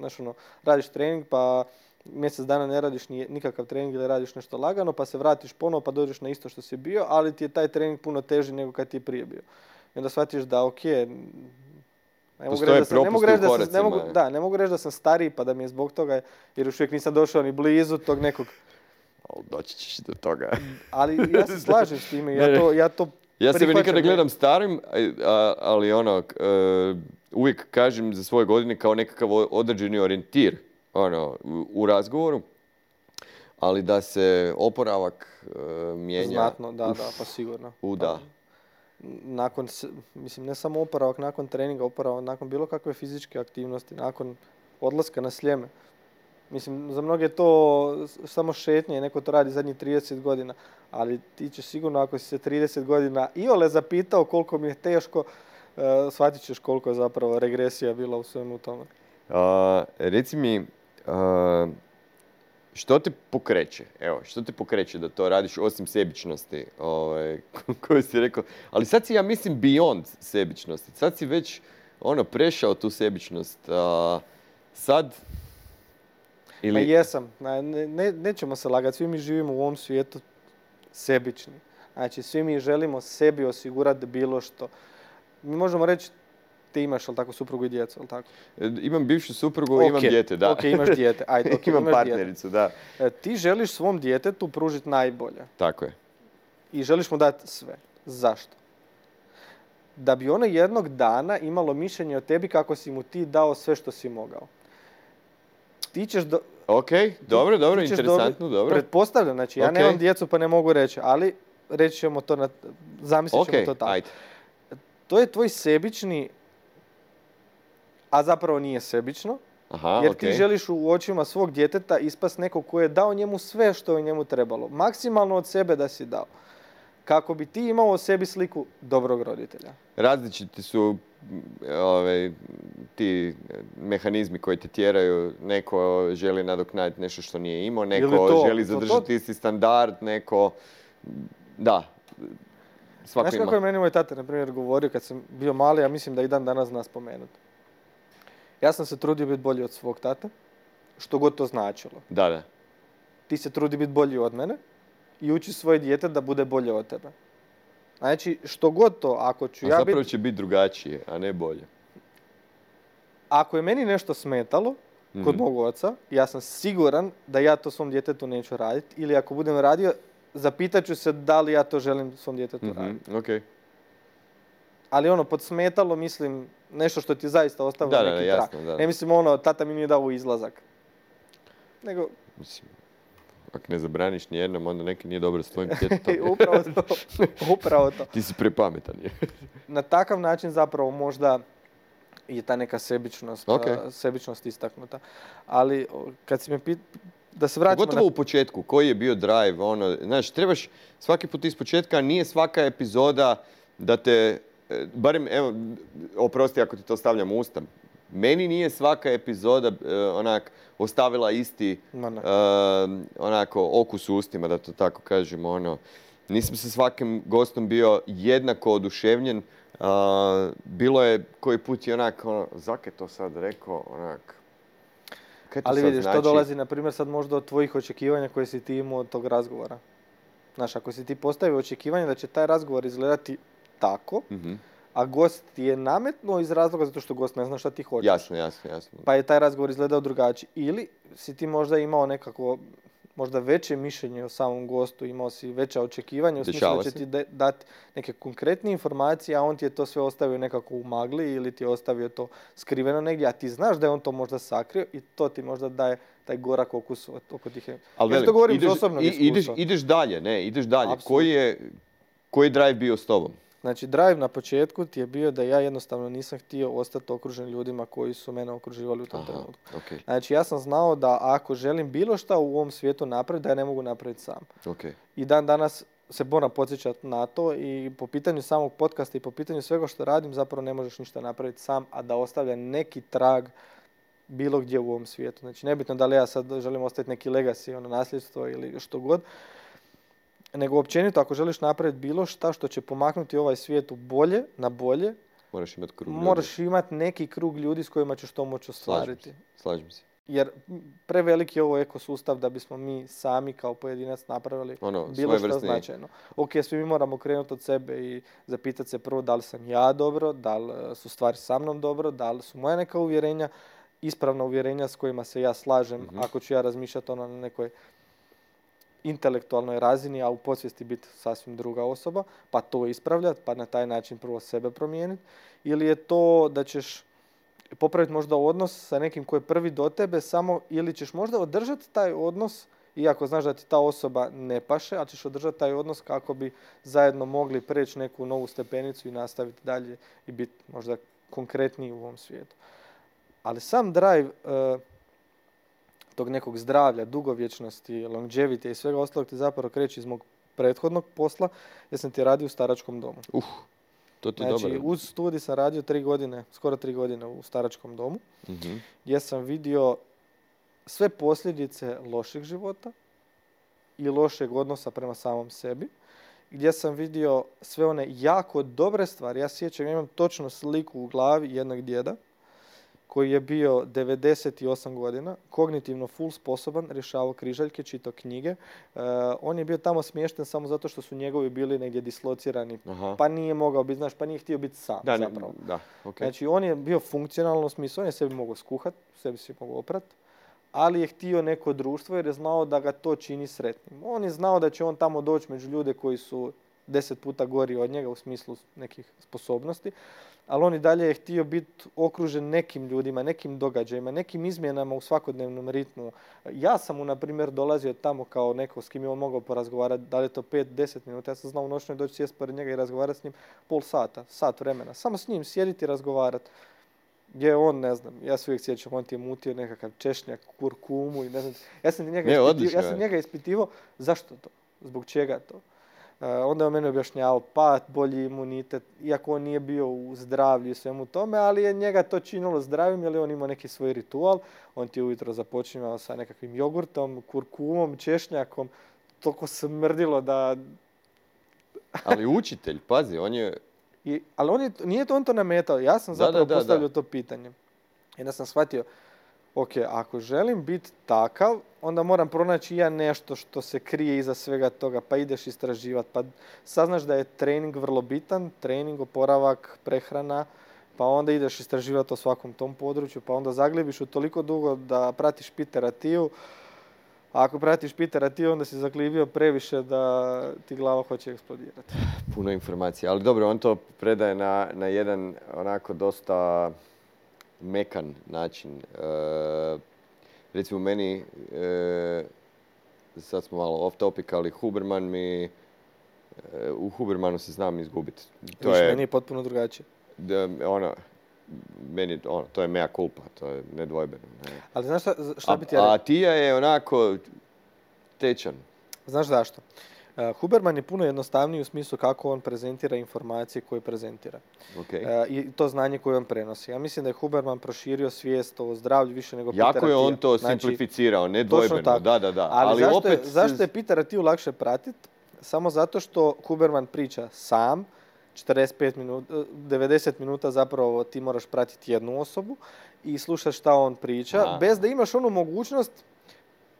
radiš trening pa mjesec dana ne radiš nikakav trening ili radiš nešto lagano, pa se vratiš ponovo pa dođeš na isto što si bio, ali ti je taj trening puno teži nego kad ti je prije bio. I onda shvatiš da Postoje propusti u koracima. Ne mogu reći da sam stariji pa da mi je zbog toga, jer još uvijek nisam došao ni blizu tog nekog... Doći ćeš do toga. Ali ja se slažem s time, ja sebe nikada gledam starim, ali uvijek kažem za svoje godine kao nekakav određeni orijentir u razgovoru, ali da se oporavak mijenja... Znatno, da, pa sigurno. Da. Nakon, mislim, ne samo oporavak nakon treninga, oporavak nakon bilo kakve fizičke aktivnosti, nakon odlaska na Sljeme. Mislim, za mnoge je to samo šetnje, neko to radi zadnjih 30 godina, ali ti će sigurno, ako si se 30 godina iole zapitao koliko mi je teško, shvatit ćeš koliko je zapravo regresija bila u svemu tome. Reci mi, što te pokreće? Evo, što te pokreće da to radiš osim sebičnosti, koju si rekao? Ali sad si, ja mislim, beyond sebičnosti. Sad si već prešao tu sebičnost. Sad... Pa jesam. Nećemo se lagati. Svi mi živimo u ovom svijetu sebični. Znači, svi mi želimo sebi osigurati bilo što. Mi možemo reći, ti imaš, ali tako, suprugu i djecu, ali tako? Imam bivšu suprugu i imam dijete, da. Ok, imaš dijete. Ajde, imam partnericu, da. Ti želiš svom djetetu pružiti najbolje. Tako je. I želiš mu dati sve. Zašto? Da bi ono jednog dana imalo mišljenje o tebi kako si mu ti dao sve što si mogao. Ti ćeš Ok, dobro, interesantno, dobro. Pretpostavljam, znači ja nemam djecu pa ne mogu reći, ali reći ćemo to, zamislit ćemo to tako. Ajde. To je tvoj sebični, a zapravo nije sebično, jer ti želiš u očima svog djeteta ispast nekog koji je dao njemu sve što je njemu trebalo. Maksimalno od sebe da si dao. Kako bi ti imao o sebi sliku dobrog roditelja. Različiti su ti mehanizmi koji te tjeraju. Neko želi nadoknaditi nešto što nije imao, neko želi zadržati isti standard, neko... Da, svako ima. Znaš kako je meni moj tata, na primjer, govorio kad sam bio mali, ja mislim da i dan danas zna spomenuti. Ja sam se trudio biti bolji od svog tata, što god to značilo. Da. Ti se trudi biti bolji od mene i uči svoje dijete da bude bolje od tebe. Znači, što god to, ako ću ja biti... Zapravo će biti drugačije, a ne bolje. Ako je meni nešto smetalo kod mog oca, ja sam siguran da ja to svom djetetu neću raditi. Ili ako budem radio, zapitat ću se da li ja to želim svom djetetu raditi. Okay. Ali pod smetalo, mislim, nešto što ti zaista ostavlja neki trak. Da. Ne mislim tata mi nije dao izlazak. Nego... Mislim, ako ne zabraniš nijednom, onda neki nije dobro s tvojim djetetom. Upravo to. Ti si prepametan. Na takav način zapravo možda je ta neka sebičnost istaknuta. Ali kad si me da se vraćamo... Gotovo u početku, koji je bio drive, znaš, trebaš svaki put iz početka, nije svaka epizoda da te, barem, evo, oprosti ako ti to stavljam u usta, meni nije svaka epizoda ostavila isti okus u ustima, da to tako kažem, nisam sa svakim gostom bio jednako oduševljen. Bilo je koji put i zak je to sad rekao, ali vidiš, to dolazi, na primjer, sad možda od tvojih očekivanja koje si ti imao od tog razgovora. Znaš, ako si ti postavio očekivanje da će taj razgovor izgledati tako, a gost ti je nametnuo iz razloga zato što gost ne zna šta ti hoćeš. Jasno. Pa je taj razgovor izgledao drugačije. Ili si ti možda imao nekako možda veće mišljenje o samom gostu, imao si veća očekivanja u smislu da će ti dati neke konkretne informacije, a on ti je to sve ostavio nekako u magli ili ti je ostavio to skriveno negdje, a ti znaš da je on to možda sakrio i to ti možda daje taj gorak okus oko tih. Ali ja to govorim iz osobnog iskustva. Ideš dalje. Koji je drive bio s tobom? Znači, drive na početku ti je bio da ja jednostavno nisam htio ostati okružen ljudima koji su mene okruživali u tom trenutku. Okay. Znači, ja sam znao da ako želim bilo šta u ovom svijetu napraviti, da ja ne mogu napraviti sam. Okay. I dan danas se moram podsjećati na to i po pitanju samog podcasta i po pitanju svega što radim, zapravo ne možeš ništa napraviti sam, a da ostavlja neki trag bilo gdje u ovom svijetu. Znači, nebitno da li ja sad želim ostaviti neki legacy, nasljedstvo ili što god, nego općenito ako želiš napraviti bilo šta što će pomaknuti ovaj svijet u bolje, na bolje, moraš imati neki krug ljudi s kojima ćeš to moći ostvariti. Slažem se. Jer preveliki je ovo ekosustav da bismo mi sami kao pojedinac napravili bilo što značajno. Ok, svi mi moramo krenuti od sebe i zapitati se prvo da li sam ja dobro, da li su stvari sa mnom dobro, da li su moja neka uvjerenja, ispravna uvjerenja s kojima se ja slažem, ako ću ja razmišljati na nekoj intelektualnoj razini, a u podsvijesti biti sasvim druga osoba, pa to ispravljati, pa na taj način prvo sebe promijeniti. Ili je to da ćeš popraviti možda odnos sa nekim koji je prvi do tebe samo, ili ćeš možda održati taj odnos, iako znaš da ti ta osoba ne paše, ali ćeš održati taj odnos kako bi zajedno mogli preći neku novu stepenicu i nastaviti dalje i biti možda konkretniji u ovom svijetu. Ali sam drive tog nekog zdravlja, dugovječnosti, longevity i svega ostalog ti zapravo kreće iz mog prethodnog posla, jer sam ti radio u staračkom domu. To ti znači, dobro. Uz studij sam radio 3 godine, skoro 3 godine u staračkom domu, gdje sam vidio sve posljedice lošeg života i lošeg odnosa prema samom sebi, gdje sam vidio sve one jako dobre stvari. Ja sjećam, imam točno sliku u glavi jednog djeda koji je bio 98 godina, kognitivno full sposoban, rješavao križaljke, čitao knjige. On je bio tamo smješten samo zato što su njegovi bili negdje dislocirani. Pa nije mogao biti, pa nije htio biti sam zapravo. Okay. Znači, on je bio funkcionalno u smislu, on je sebi mogao skuhati, sebi se mogao oprati, ali je htio neko društvo jer je znao da ga to čini sretnim. On je znao da će on tamo doći među ljude koji su 10 puta gori od njega u smislu nekih sposobnosti, ali on i dalje je htio biti okružen nekim ljudima, nekim događajima, nekim izmjenama u svakodnevnom ritmu. Ja sam mu, na primjer, dolazio tamo kao neko s kim je on mogao porazgovarati, da li je to 5-10 minuta. Ja sam znao u noćnoj doći sjest pored njega i razgovarati s njim pol sata, sat vremena. Samo s njim sjediti i razgovarati. Gdje on, ne znam, ja se uvijek sjećam, on ti je mutio nekakav češnjak, kurkumu i ne znam. Ja sam njega ispitivao zašto to, zbog čega to. Onda je on meni objašnjavao bolji imunitet, iako on nije bio u zdravlju i svemu tome, ali je njega to činilo zdravim, jer on imao neki svoj ritual. On ti ujutro započinjao sa nekakvim jogurtom, kurkumom, češnjakom. Toliko smrdilo da... Ali učitelj, pazi, on je... Ali nije on to nametao. Ja sam zapravo postavljao to pitanje. I onda sam shvatio, ok, ako želim biti takav, onda moram pronaći ja nešto što se krije iza svega toga, pa ideš istraživati, pa saznaš da je trening vrlo bitan, trening, oporavak, prehrana, pa onda ideš istraživati o svakom tom području, pa onda zaglibiš u toliko dugo da pratiš Petera Thiel. A ako pratiš Petera Thiel, onda si zaglibio previše da ti glava hoće eksplodirati. Puno informacija, ali dobro, on to predaje na jedan onako dosta mekan način. Recimo meni, sad smo malo off topic, ali Huberman u Hubermanu se znam izgubiti. Meni je potpuno drugačije. To je mea culpa, to je nedvojbeno. Ne. Ali znaš šta bi ti ja rekao? A Tija je onako tečan. Znaš zašto? Huberman je puno jednostavniji u smislu kako on prezentira informacije koje prezentira. Okay. I to znanje koje on prenosi. Ja mislim da je Huberman proširio svijest o zdravlju više nego Petera Thiela. Jako je on to simplificirao, nedvojbeno. Da. Ali zašto je Petera Thiel lakše pratiti? Samo zato što Huberman priča sam, 90 minuta zapravo ti moraš pratiti jednu osobu i slušaš šta on priča, bez da imaš onu mogućnost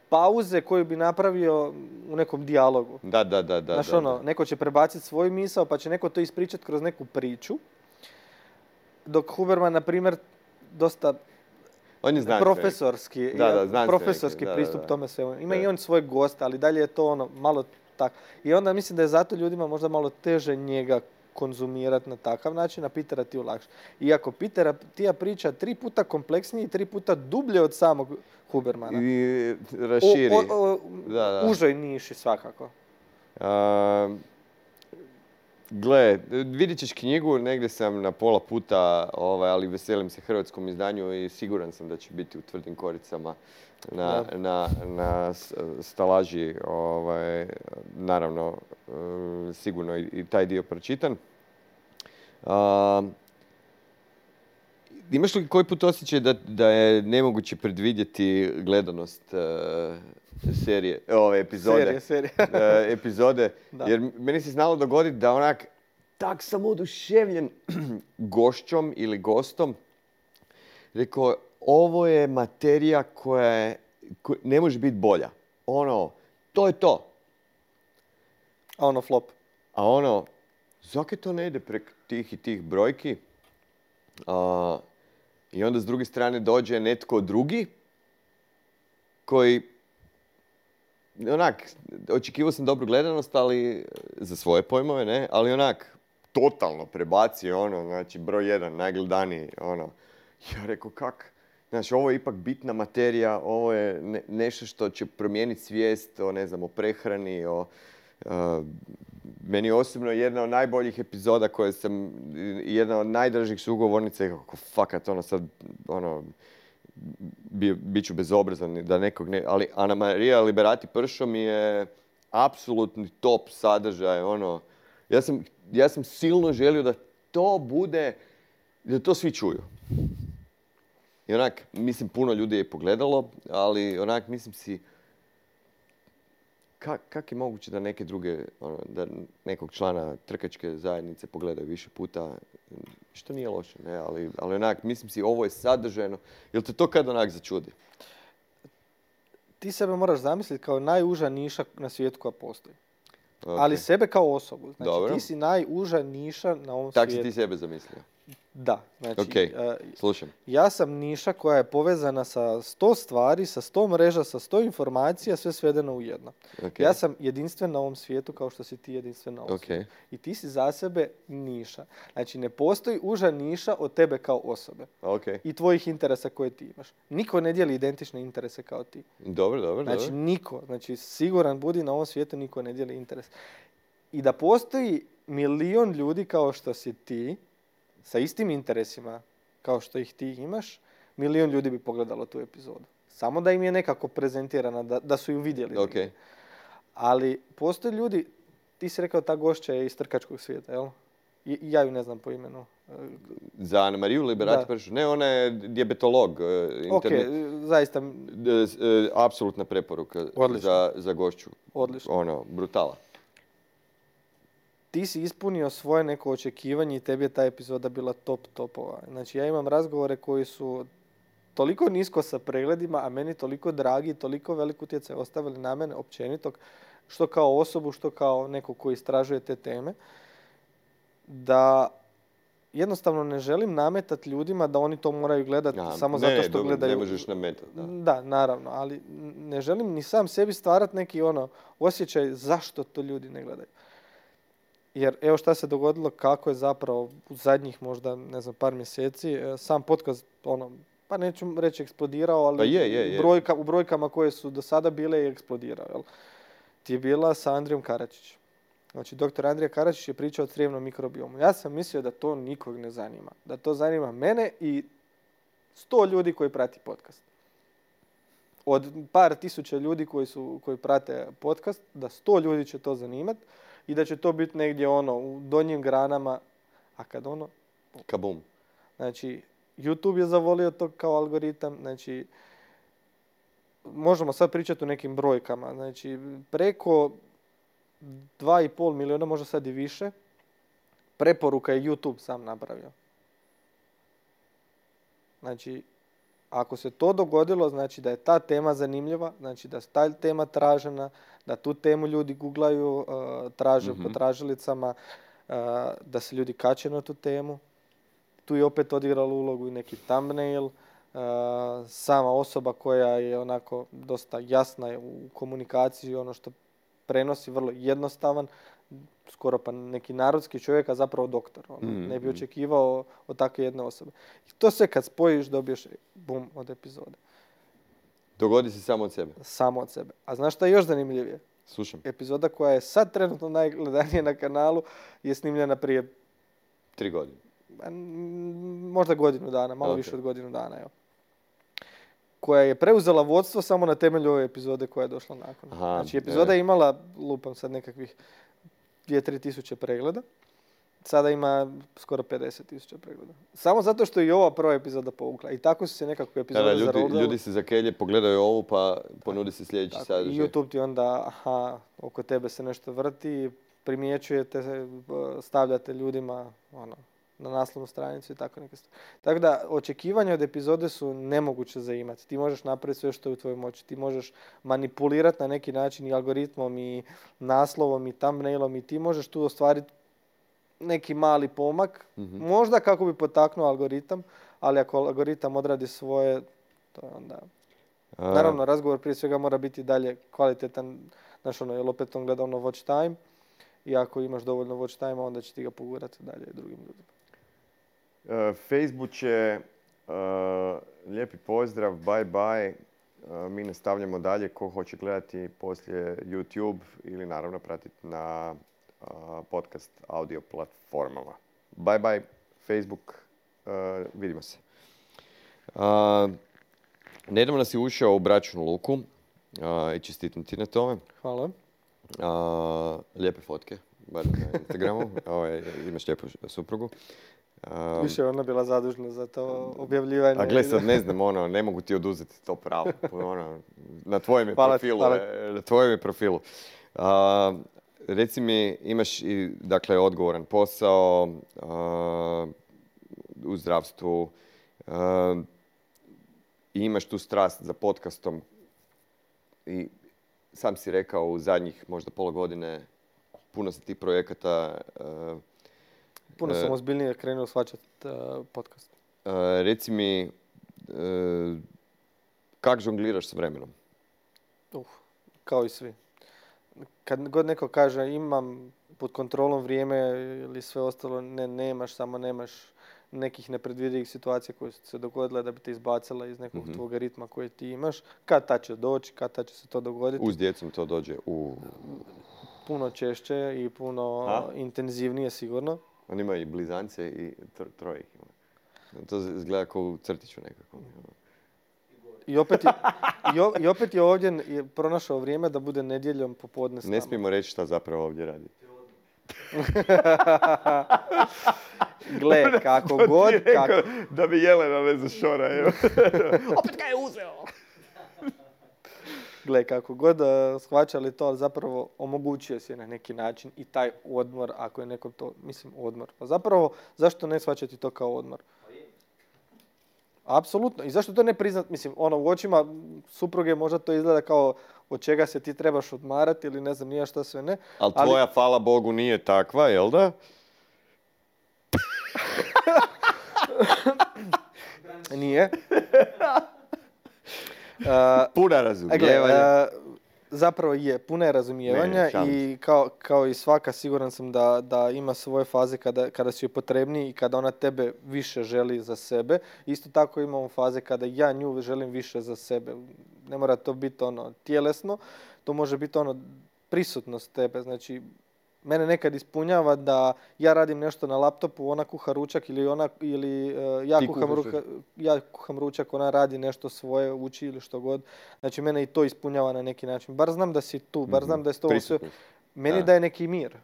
pauze koju bi napravio u nekom dijalogu. Da. Znaš, neko će prebaciti svoj misao, pa će neko to ispričati kroz neku priču. Dok Huberman, na primjer, dosta profesorski, profesorski pristup tome svemu. Ima i on svoj gost, ali dalje je to malo tako. I onda mislim da je zato ljudima možda malo teže njega konzumirati na takav način, a Petera Thiel lakše. Iako Petera Thiel priča 3 puta kompleksnije i 3 puta dublje od samog Hubermana. I raširi. Užoj niši svakako. Gle, vidit ćeš knjigu, negdje sam na pola puta, ali veselim se hrvatskom izdanju i siguran sam da će biti u tvrdim koricama na stalaži. Naravno, sigurno i taj dio pročitan. Imaš li koji put osjećaj da je nemoguće predvidjeti gledanost serije, epizode? Jer meni se znalo dogoditi da onak tak sam oduševljen gošćom ili gostom. Rekao, ovo je materija koja ne može biti bolja. To je to. A ono flop. A zakaj to ne ide prek tih i tih brojki? I onda s druge strane dođe netko drugi koji očekivao sam dobru gledanost, ali za svoje pojmove, ne, ali totalno prebacio znači broj 1, najgledaniji, Ja rekao, kak? Znači, ovo je ipak bitna materija, ovo je nešto što će promijeniti svijest o prehrani, meni osobno jedna od najboljih epizoda koje sam, jedna od najdražih sugovornica, kako fakat, sad, bit ću bezobrazan da nekog ne... Ali Ana Marija Liberati Pršo mi je apsolutni top sadržaj, Ja sam silno želio da to bude, da to svi čuju. I mislim, puno ljudi je pogledalo, ali mislim si, kak je moguće da neke druge, da nekog člana trkačke zajednice pogledaju više puta, što nije loše, ne, ali mislim si, ovo je sadržajno. Jel te to kad začudi? Ti sebe moraš zamisliti kao najuža niša na svijetu koja postoji. Okay. Ali sebe kao osobu. Znači, dobro. Ti si najuža niša na ovom tak svijetu. Tak si ti sebe zamislio? Da. Znači, slušam. Ja sam niša koja je povezana sa 100 stvari, sa 100 mreža, sa 100 informacija, sve svedeno u jedno. Okay. Ja sam jedinstven na ovom svijetu kao što si ti jedinstven na ovom svijetu. I ti si za sebe niša. Znači, ne postoji uža niša od tebe kao osobe. Okay. I tvojih interesa koje ti imaš. Niko ne dijeli identične interese kao ti. Dobro. Znači, niko. Znači, siguran budi, na ovom svijetu niko ne dijeli interes. I da postoji milion ljudi kao što si ti, sa istim interesima kao što ih ti imaš, milion ljudi bi pogledalo tu epizodu. Samo da im je nekako prezentirana, da su ju vidjeli. Okay. Ali postoje ljudi, ti si rekao ta gošća je iz trkačkog svijeta, jel? Ja ju ne znam po imenu. Za Ana Mariju Liberati Pršo? Ne, ona je dijabetolog. Zaista. Apsolutna preporuka za gošću. Odlično. Brutala. Ti si ispunio svoje neko očekivanje i tebi je ta epizoda bila top topova. Znači, ja imam razgovore koji su toliko nisko sa pregledima, a meni toliko dragi, toliko velik utjecaj ostavili na mene općenito, što kao osobu, što kao neko koji istražuje te teme, da jednostavno ne želim nametati ljudima da oni to moraju gledati samo zato što gledaju. Ne možeš nametati. Da, naravno, ali ne želim ni sam sebi stvarati neki osjećaj zašto to ljudi ne gledaju. Jer evo šta se dogodilo, kako je zapravo u zadnjih možda, ne znam, par mjeseci, sam podcast, pa neću reći eksplodirao, ali pa u brojkama koje su do sada bile je eksplodirao. Jel? Ti je bila sa Andrijom Karačićem. Znači, doktor Andrija Karačić je pričao o crijevnom mikrobiomu. Ja sam mislio da to nikog ne zanima. Da to zanima mene i 100 ljudi koji prati podcast. Od par tisuća ljudi koji prate podcast, da 100 ljudi će to zanimati. I da će to biti negdje u donjim granama, a kad kabum. Znači, YouTube je zavolio to kao algoritam, znači, možemo sad pričati o nekim brojkama, znači, preko 2,5 milijuna, možda sad i više, preporuka je YouTube sam napravio. Znači, ako se to dogodilo, znači da je ta tema zanimljiva, znači da je ta tema tražena, da tu temu ljudi googlaju, traže po tražilicama, da se ljudi kače na tu temu. Tu je opet odigrala ulogu i neki thumbnail, sama osoba koja je onako dosta jasna u komunikaciji, ono što prenosi vrlo jednostavan, skoro pa neki narodski čovjek, a zapravo doktor. Ne bi očekivao od takve jedne osobe. I to sve kad spojiš dobiješ bum od epizode. Dogodi se samo od sebe. Samo od sebe. A znaš šta je još zanimljivije? Slušam. Epizoda koja je sad trenutno najgledanija na kanalu je snimljena prije 3 godine. Možda godinu dana, malo više od godinu dana. Evo. Koja je preuzela vodstvo samo na temelju ove epizode koja je došla nakon. Znači, epizoda je imala, lupam sad, nekakvih 2-3 tisuće pregleda. Sada ima skoro 50 tisuća pregleda. Samo zato što je i ova prva epizoda povukla. I tako su se nekako epizode zarobile. Ljudi se zakelje, pogledaju ovu pa ponudi se sljedeći sadržaj. I YouTube ti onda, oko tebe se nešto vrti, primjećujete, stavljate ljudima na naslovnu stranicu i tako neke stvari. Tako da, očekivanja od epizode su nemoguće za imati. Ti možeš napraviti sve što je u tvojoj moći. Ti možeš manipulirati na neki način i algoritmom i naslovom i thumbnailom i ti možeš tu ostvariti neki mali pomak. Možda kako bi potaknuo algoritam, ali ako algoritam odradi svoje, to je onda... Naravno, razgovor prije svega mora biti dalje kvalitetan. Znaš, jer opet on gleda watch time i ako imaš dovoljno watch time, onda će ti ga pogurati dalje drugim ljudima. Facebook će, lijepi pozdrav, bye bye. Mi nastavljamo dalje. Ko hoće gledati poslije YouTube ili naravno pratiti na podcast audio platformama. Bye bye Facebook, vidimo se. Nedavno si ušao u Bračnu luku i čestitam ti na tome. Hvala. Lijepe fotke, bar na Instagramu. Imaš lijepu suprugu. Više ona bila zadužna za to objavljivanje. A gle sad, ne znam, ne mogu ti oduzeti to pravo. Na tvojem je profilu. Reci mi, imaš i, dakle, odgovoran posao u zdravstvu i imaš tu strast za podcastom i sam si rekao u zadnjih možda pola godine puno se tih projekata... Puno sam ozbiljnije krenuo shvaćati podcast. Reci mi, kak žongliraš s vremenom? Kao i svi. Kad god neko kaže imam pod kontrolom vrijeme ili sve ostalo, nemaš, samo nemaš nekih nepredvidivih situacija koje su se dogodile da bi te izbacila iz nekog tvog ritma koje ti imaš. Kad ta će doći, kad ta će se to dogoditi. Uz djecom to dođe puno češće i puno intenzivnije sigurno. On ima i blizance i troje ih ima. To izgleda kao u crtiću nekako. I opet je ovdje pronašao vrijeme da bude nedjeljom popodne s nama. Ne smijemo reći šta zapravo ovdje radi. Gle, kako god... Da bi Jelena ne zašora. Opet ga je uzeo! Gle, kako god shvaćali to, ali zapravo omogućuje se na neki način i taj odmor, ako je nekom to, odmor. Pa zapravo, zašto ne shvaćati to kao odmor? Apsolutno. I zašto to ne priznat? U očima supruge možda to izgleda kao od čega se ti trebaš odmarati ili ne znam nije šta sve ne. Ali tvoja, hvala Bogu, nije takva, jel da? Nije. Puna razumijevanja. Zapravo je, puna je razumijevanja i kao i svaka siguran sam da ima svoje faze kada si joj potrebniji i kada ona tebe više želi za sebe. Isto tako imamo faze kada ja nju želim više za sebe. Ne mora to biti tjelesno, to može biti prisutnost tebe. Znači, mene nekad ispunjava da ja radim nešto na laptopu, ona kuha ručak ili ja kuham ručak, ona radi nešto svoje, uči ili što god. Znači, mene i to ispunjava na neki način. Bar znam da si tu, bar znam da je to sve. Meni daje neki mir.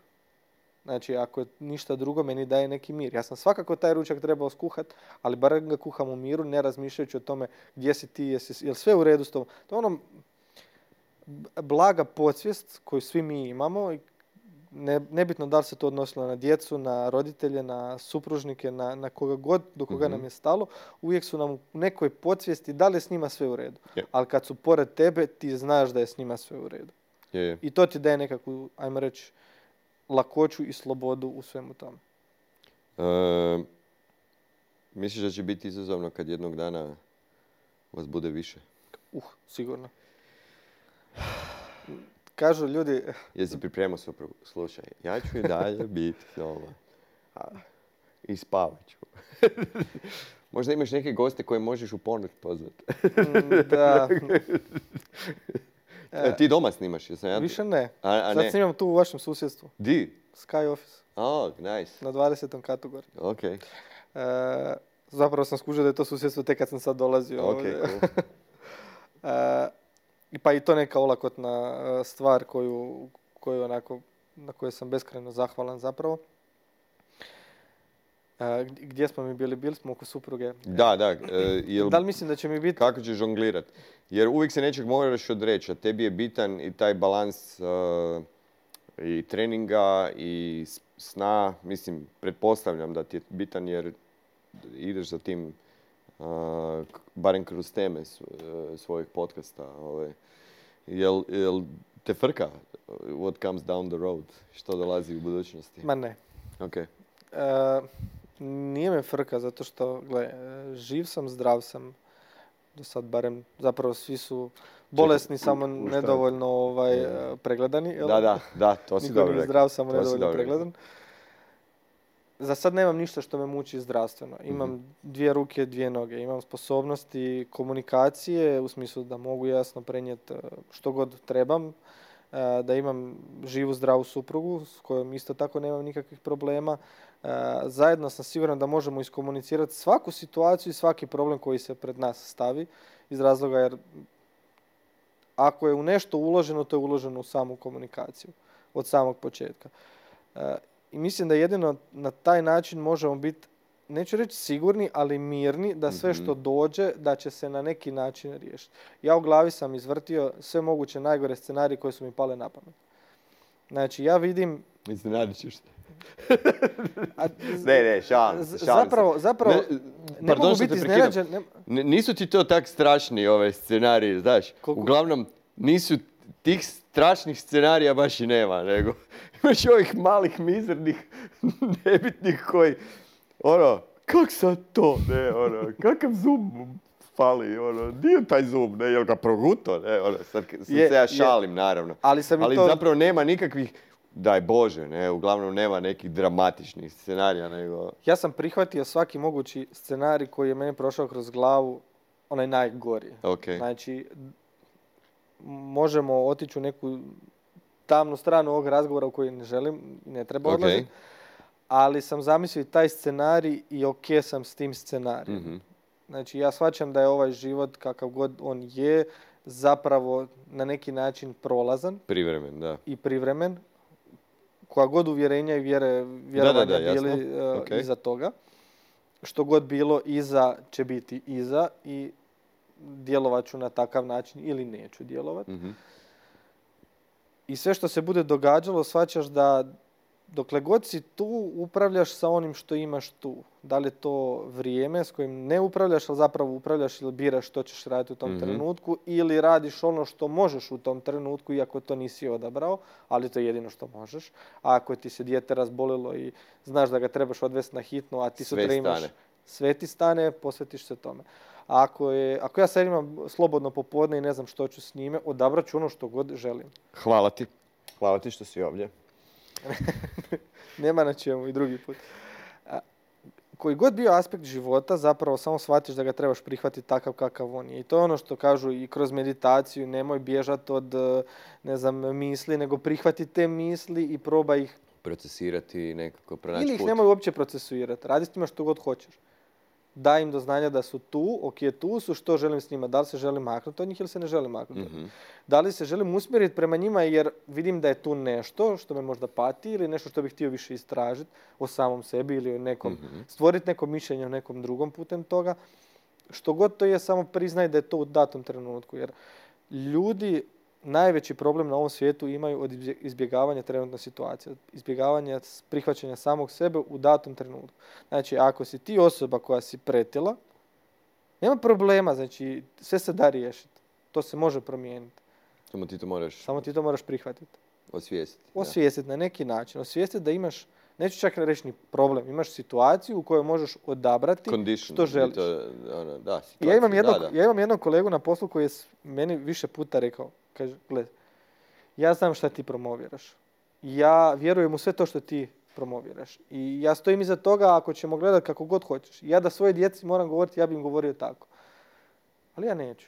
Znači, ako je ništa drugo, meni daje neki mir. Ja sam svakako taj ručak trebao skuhati, ali bar ga kuham u miru, ne razmišljajući o tome gdje si ti, je li sve u redu s tobom. To je blaga podsvijest koju svi mi imamo i nebitno da li se to odnosilo na djecu, na roditelje, na supružnike, na koga god, do koga nam je stalo, uvijek su nam u nekoj podsvijesti da li je s njima sve u redu. Yeah. Ali kad su pored tebe, ti znaš da je s njima sve u redu. Yeah. I to ti daje nekakvu, ajmo reći, lakoću i slobodu u svemu tome. Misliš da će biti izazovno kad jednog dana vas bude više? Sigurno. Kažu ljudi... Jesi pripremao suprugu? Slušaj, ja ću i dalje biti doma. I spavat ću. Možda imaš neke goste koje možeš u ponoć pozvati. Da. Ti doma snimaš? Više ne. Sad snimam tu u vašem susjedstvu. Di? Sky Office. Oh, nice. Na 20. katu gore. Ok. Zapravo sam skužio da je to susjedstvo tek kad sam sad dolazio ovdje. Cool. Pa i to neka olakotna stvar na kojoj sam beskrajno zahvalan zapravo. Gdje smo mi bili? Bili smo oko supruge. Da. Da li mislim da će mi biti... Kako ćeš žonglirat? Jer uvijek se nečeg moraš odreći, a tebi je bitan i taj balans i treninga i sna, mislim, pretpostavljam da ti je bitan jer ideš za tim, barem kroz teme svojih podcasta. Jel te frka what comes down the road? Što dolazi u budućnosti? Ma ne. Okay. Nije me frka zato što, gle, živ sam, zdrav sam. Do sad barem, zapravo svi su bolesni, samo nedovoljno pregledani. Jel? Da, to si dobro rekao. Niko nije zdrav, samo nedovoljno pregledan. Za sad nemam ništa što me muči zdravstveno. Imam 2 ruke, 2 noge. Imam sposobnosti komunikacije, u smislu da mogu jasno prenijeti što god trebam. Da imam živu, zdravu suprugu s kojom isto tako nemam nikakvih problema. Zajedno sam siguran da možemo iskomunicirati svaku situaciju i svaki problem koji se pred nas stavi, iz razloga jer ako je u nešto uloženo, to je uloženo u samu komunikaciju od samog početka. I mislim da jedino na taj način možemo biti, neću reći sigurni, ali mirni da sve što dođe, da će se na neki način riješiti. Ja u glavi sam izvrtio sve moguće najgore scenarije koje su mi pale na pamet. Znači, ja vidim... Iznenadit ćeš se. Ne, šalim se. Zapravo, ne mogu biti iznenađen. Nisu ti to tak strašni ove scenariji, znaš. Uglavnom, nisu tih strašnih scenarija baš i nema, nego imaš ovih malih, mizernih, nebitnih koji, kak sad to, kakav zub fali, di je taj zub, jel ga proguto, sad se ja šalim, naravno. Ali zapravo nema nikakvih, daj Bože, uglavnom nema nekih dramatičnih scenarija, nego... Ja sam prihvatio svaki mogući scenarij koji je meni prošao kroz glavu, onaj najgori. Okay. Znači, možemo otići u neku tamnu stranu ovog razgovora u koji ne želim i ne treba odlaziti, ali sam zamislio i taj scenarij i sam s tim scenarijem. Znači, ja shvaćam da je ovaj život, kakav god on je, zapravo na neki način prolazan. Privremen, da. I privremen. Koja god uvjerenja i vjerovanja bili iza toga. Što god bilo iza će biti iza i djelovat ću na takav način ili neću djelovati. I sve što se bude događalo, shvaćaš da dokle god si tu, upravljaš sa onim što imaš tu. Da li je to vrijeme s kojim ne upravljaš, ali zapravo upravljaš ili biraš što ćeš raditi u tom trenutku, ili radiš ono što možeš u tom trenutku, iako to nisi odabrao, ali to je jedino što možeš. A ako ti se dijete razbolilo i znaš da ga trebaš odvesti na hitnu, a ti sutra imaš sve ti stane, posvetiš se tome. A ako ja sad imam slobodno popodne i ne znam što ću s njime, odabrat ću ono što god želim. Hvala ti. Hvala ti što si ovdje. Nema na čemu i drugi put. Koji god bio aspekt života, zapravo samo shvatiš da ga trebaš prihvatiti takav kakav on je. I to je ono što kažu i kroz meditaciju, nemoj bježati od, misli, nego prihvati te misli i probaj ih procesirati, nekako pronaći put. Ili ih nemoj uopće procesuirati. Radi s njima što god hoćeš. Daj im do znanja da su tu, tu su, što želim s njima. Da li se želim maknuti od njih ili se ne želim maknuti od njih. Da li se želim usmjeriti prema njima jer vidim da je tu nešto što me možda pati ili nešto što bih htio više istražiti o samom sebi ili o nekom, stvoriti neko mišljenje o nekom drugom putem toga. Što god to je, samo priznaj da je to u datom trenutku. Jer ljudi najveći problem na ovom svijetu imaju od izbjegavanja trenutne situacije, od izbjegavanja prihvaćanja samog sebe u datom trenutku. Znači, ako si ti osoba koja si pretila, nema problema, znači sve se da riješiti. To se može promijeniti. Samo ti to moraš prihvatiti. Osvijestiti na neki način. Osvijestiti da imaš, neću čak reći ni problem, imaš situaciju u kojoj možeš odabrati što želiš. Ja imam jednog kolegu na poslu koji je meni više puta rekao, kaže, gled, ja znam šta ti promoviraš. Ja vjerujem u sve to što ti promoviraš. I ja stojim iza toga ako ćemo gledati kako god hoćeš. Ja da svoje djeci moram govoriti, ja bi im govorio tako. Ali ja neću.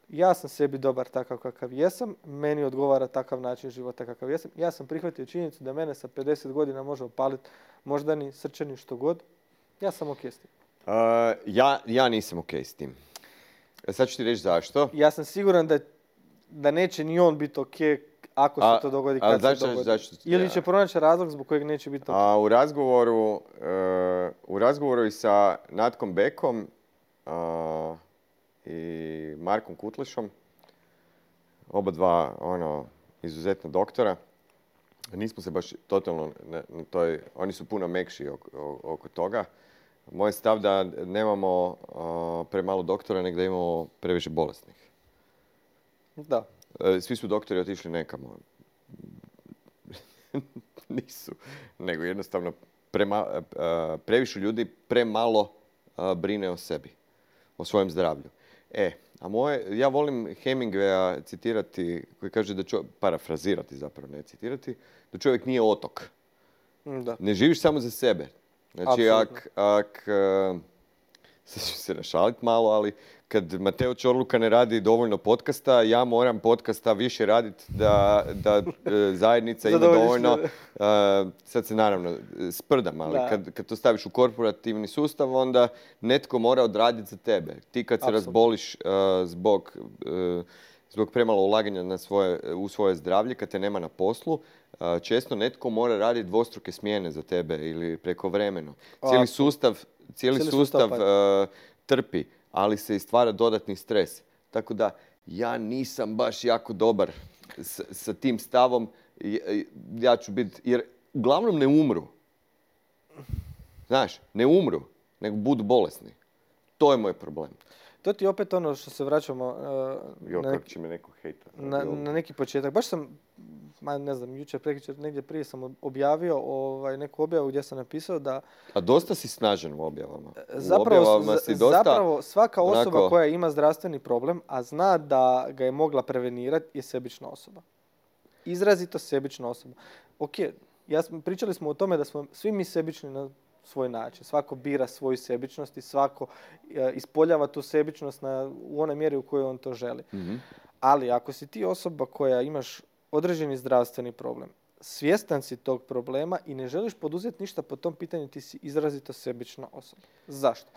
Ja sam sebi dobar takav kakav jesam, meni odgovara takav način života kakav jesam. Ja sam prihvatio činjenicu da mene sa 50 godina može opaliti moždani, srčani, što god. Ja sam okej s tim. Ja nisam okej s tim. Sad ću ti reći zašto. Ja sam siguran da neće ni on biti okej ako se to dogodi kad se dogodi. Ili će pronaći razlog zbog kojeg neće biti okej. U razgovoru i sa Natkom Bekom i Markom Kutlišom, oba dva izuzetna doktora, nismo se baš totalno na toj, oni su puno mekši oko toga. Moj stav da nemamo premalo doktora, nego da imamo previše bolesnih. Da. Svi su doktori otišli nekamo. Nisu. Nego jednostavno previše ljudi premalo brine o sebi. O svojem zdravlju. Ja volim Hemingwaya citirati, koji kaže da parafrazirati zapravo, ne citirati, da čovjek nije otok. Da. Ne živiš samo za sebe. Znači, sad ću se našaliti malo, ali kad Mateo Čorluka ne radi dovoljno podcasta, ja moram podcasta više raditi da zajednica ima dovoljno. Sad se naravno sprdam, ali kad to staviš u korporativni sustav, onda netko mora odraditi za tebe. Ti kad se razboliš zbog premalo ulaganja u svoje zdravlje, kad te nema na poslu, često netko mora raditi dvostruke smjene za tebe ili prekovremeno. Cijeli sustav trpi, ali se i stvara dodatni stres. Tako da ja nisam baš jako dobar sa tim stavom. Ja ću biti, jer uglavnom ne umru. Znaš, ne umru, nego budu bolesni. To je moj problem. To ti opet ono što se vraćamo kako će me neko hejta. Na neki početak. Baš sam, ne znam, jučer, prekjučer, negdje prije sam objavio neku objavu gdje sam napisao da... A dosta si snažan u objavama. Zapravo svaka osoba koja ima zdravstveni problem, a zna da ga je mogla prevenirati, je sebična osoba. Izrazito sebična osoba. Ok, pričali smo o tome da smo svi mi sebični na svoj način. Svako bira svoju sebičnost i svako ispoljava tu sebičnost u onoj mjeri u kojoj on to želi. Mm-hmm. Ali ako si ti osoba koja imaš određeni zdravstveni problem, svjestan si tog problema i ne želiš poduzeti ništa po tom pitanju, ti si izrazito sebična osoba. Zašto?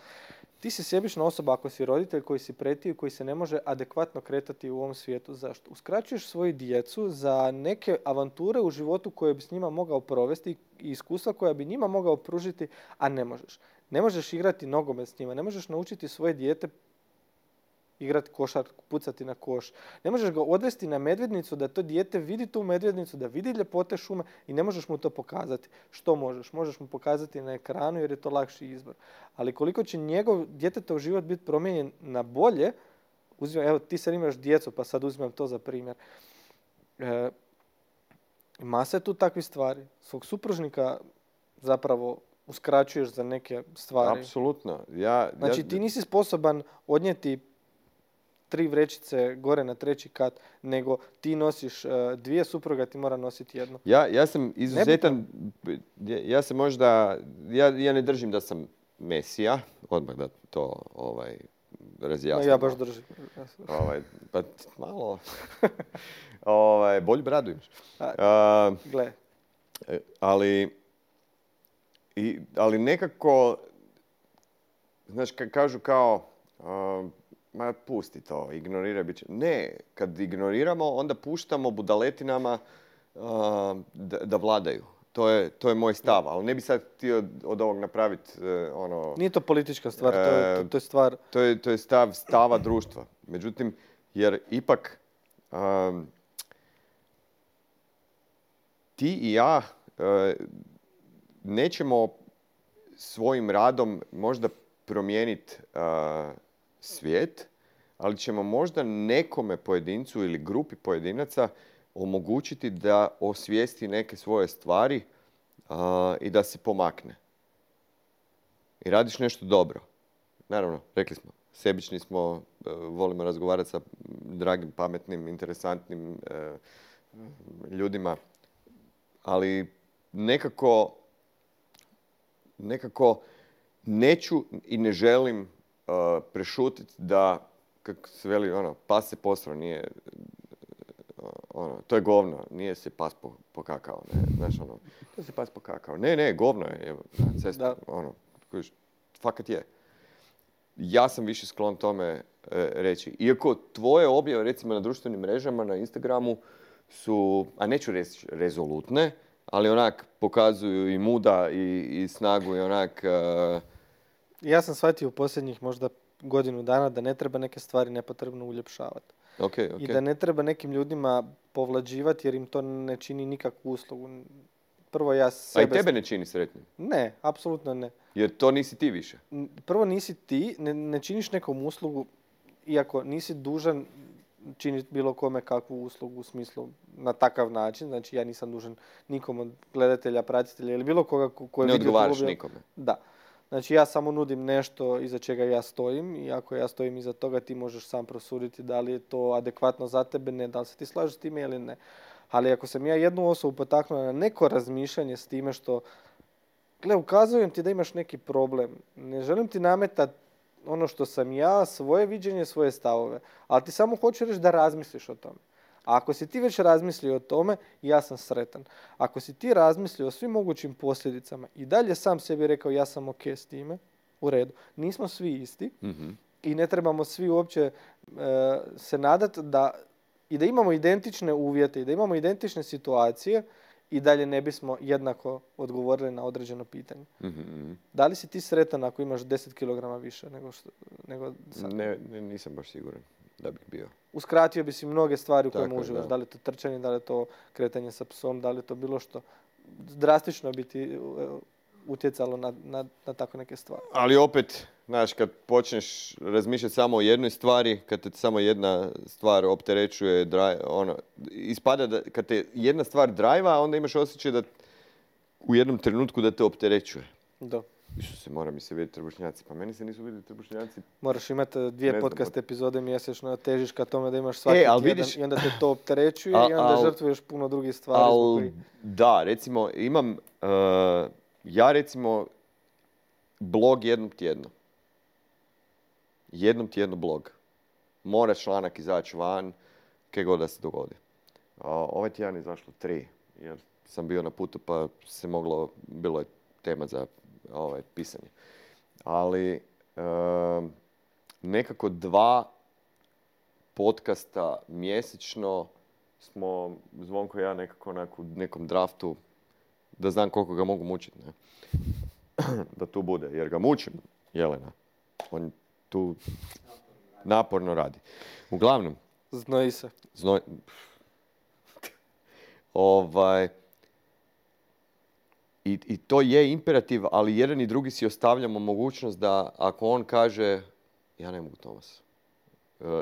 Ti si sebična osoba ako si roditelj koji si pretio i koji se ne može adekvatno kretati u ovom svijetu. Zašto? Uskraćuješ svoju djecu za neke avanture u životu koje bi s njima mogao provesti i iskustva koja bi njima mogao pružiti, a ne možeš. Ne možeš igrati nogomet s njima, ne možeš naučiti svoje dijete igrati košar, pucati na koš. Ne možeš ga odvesti na medvjednicu da to dijete vidi tu medvjednicu, da vidi ljepote šume i ne možeš mu to pokazati. Što možeš? Možeš mu pokazati na ekranu jer je to lakši izbor. Ali koliko će njegov djetetov život biti promijenjen na bolje, evo ti sad imaš djecu pa sad uzimam to za primjer. Masa je tu takvih stvari. Svog supružnika zapravo uskraćuješ za neke stvari. Apsolutno. Znači ti nisi sposoban odnijeti 3 vrećice gore na 3. kat, nego ti nosiš 2, supruga ti mora nositi jednu. Ja sam izuzetan, ja sam možda, ja ne držim da sam Mesija, odmah da to razjasnim. Ja baš držim. Pa malo, bolju bradu imaš. Gle. Ali nekako, znaš, kažu kao, ma pusti to, ignoriraj bit će. Ne, kad ignoriramo, onda puštamo budaletinama da vladaju. To je moj stav, ali ne bi sad htio od ovog napraviti Nije to politička stvar, to je stvar... To je stava društva. Međutim, jer ipak ti i ja nećemo svojim radom možda promijeniti svijet, ali ćemo možda nekome pojedincu ili grupi pojedinaca omogućiti da osvijesti neke svoje stvari i da se pomakne. I radiš nešto dobro. Naravno, rekli smo, sebični smo, volimo razgovarati sa dragim, pametnim, interesantnim ljudima, ali nekako neću i ne želim prešutiti da, kako se veli, pas se posro, nije, to je govno, nije se pas pokakao, ne, znaš, to se pas pokakao. Ne, govno je, evo, na cestu, fakat je. Ja sam više sklon tome reći. Iako tvoje objave, recimo na društvenim mrežama, na Instagramu, su, a neću reći rezolutne, ali onak pokazuju i muda i snagu i onak... Ja sam shvatio u posljednjih možda godinu dana da ne treba neke stvari nepotrebno uljepšavati. I da ne treba nekim ljudima povlađivati jer im to ne čini nikakvu uslugu. Prvo ja sebe... A i tebe ne čini sretnim? Ne, apsolutno ne. Jer to nisi ti više? Prvo nisi ti, ne činiš nekom uslugu, iako nisi dužan činiti bilo kome kakvu uslugu u smislu na takav način. Znači ja nisam dužan nikom od gledatelja, pratitelja ili bilo koga koji... Ne odgovaraš nikome. Da. Znači ja samo nudim nešto iza čega ja stojim i ako ja stojim iza toga ti možeš sam prosuditi da li je to adekvatno za tebe, ne, da li se ti slažeš s time ili ne. Ali ako sam ja jednu osobu potaknuo na neko razmišljanje s time što, gle, ukazujem ti da imaš neki problem, ne želim ti nametati ono što sam ja, svoje viđenje, svoje stavove, ali ti samo hoću reći da razmisliš o tome. A ako si ti već razmislio o tome, ja sam sretan. Ako si ti razmislio o svim mogućim posljedicama i dalje sam sebi rekao ja sam ok s time, u redu. Nismo svi isti i ne trebamo svi uopće se nadati da imamo identične uvjete i da imamo identične situacije i dalje ne bismo jednako odgovorili na određeno pitanje. Da li si ti sretan ako imaš 10 kg više nego sad? Ne, nisam baš siguran da bih bio. Uskratio bi si mnoge stvari u kojima uživaš. Da li je to trčanje, da li je to kretanje sa psom, da li je to bilo što. Drastično bi ti utjecalo na tako neke stvari. Ali opet, znaš, kad počneš razmišljati samo o jednoj stvari, kad te samo jedna stvar opterećuje, ispada da kad te jedna stvar drajva, onda imaš osjećaj da u jednom trenutku da te opterećuje. Da. Isuse, mora mi se vidjeti trbušnjaci. Pa meni se nisu vidjeti trbušnjaci. Moraš imati 2 podcast epizode mjesečno, težiš ka tome da imaš svaki tjedan vidiš, i onda te to opterećuje i onda žrtvuješ puno drugih stvari. Da, recimo, imam... ja recimo blog jednom tjedno. Jednom tjedno blog. Mora članak izaći van, kaj god da se dogodi. Ovaj tjedan je izašlo 3, jer sam bio na putu pa se bilo je tema za pisanje. Ali nekako 2 podcasta mjesečno smo, Zvonko i ja, nekako u nekom draftu, da znam koliko ga mogu mučiti, ne? Da tu bude, jer ga mučim, Jelena. On tu naporno radi. Uglavnom. Znoji se. I to je imperativ, ali jedan i drugi si ostavljamo mogućnost da ako on kaže ja ne mogu, Tomas.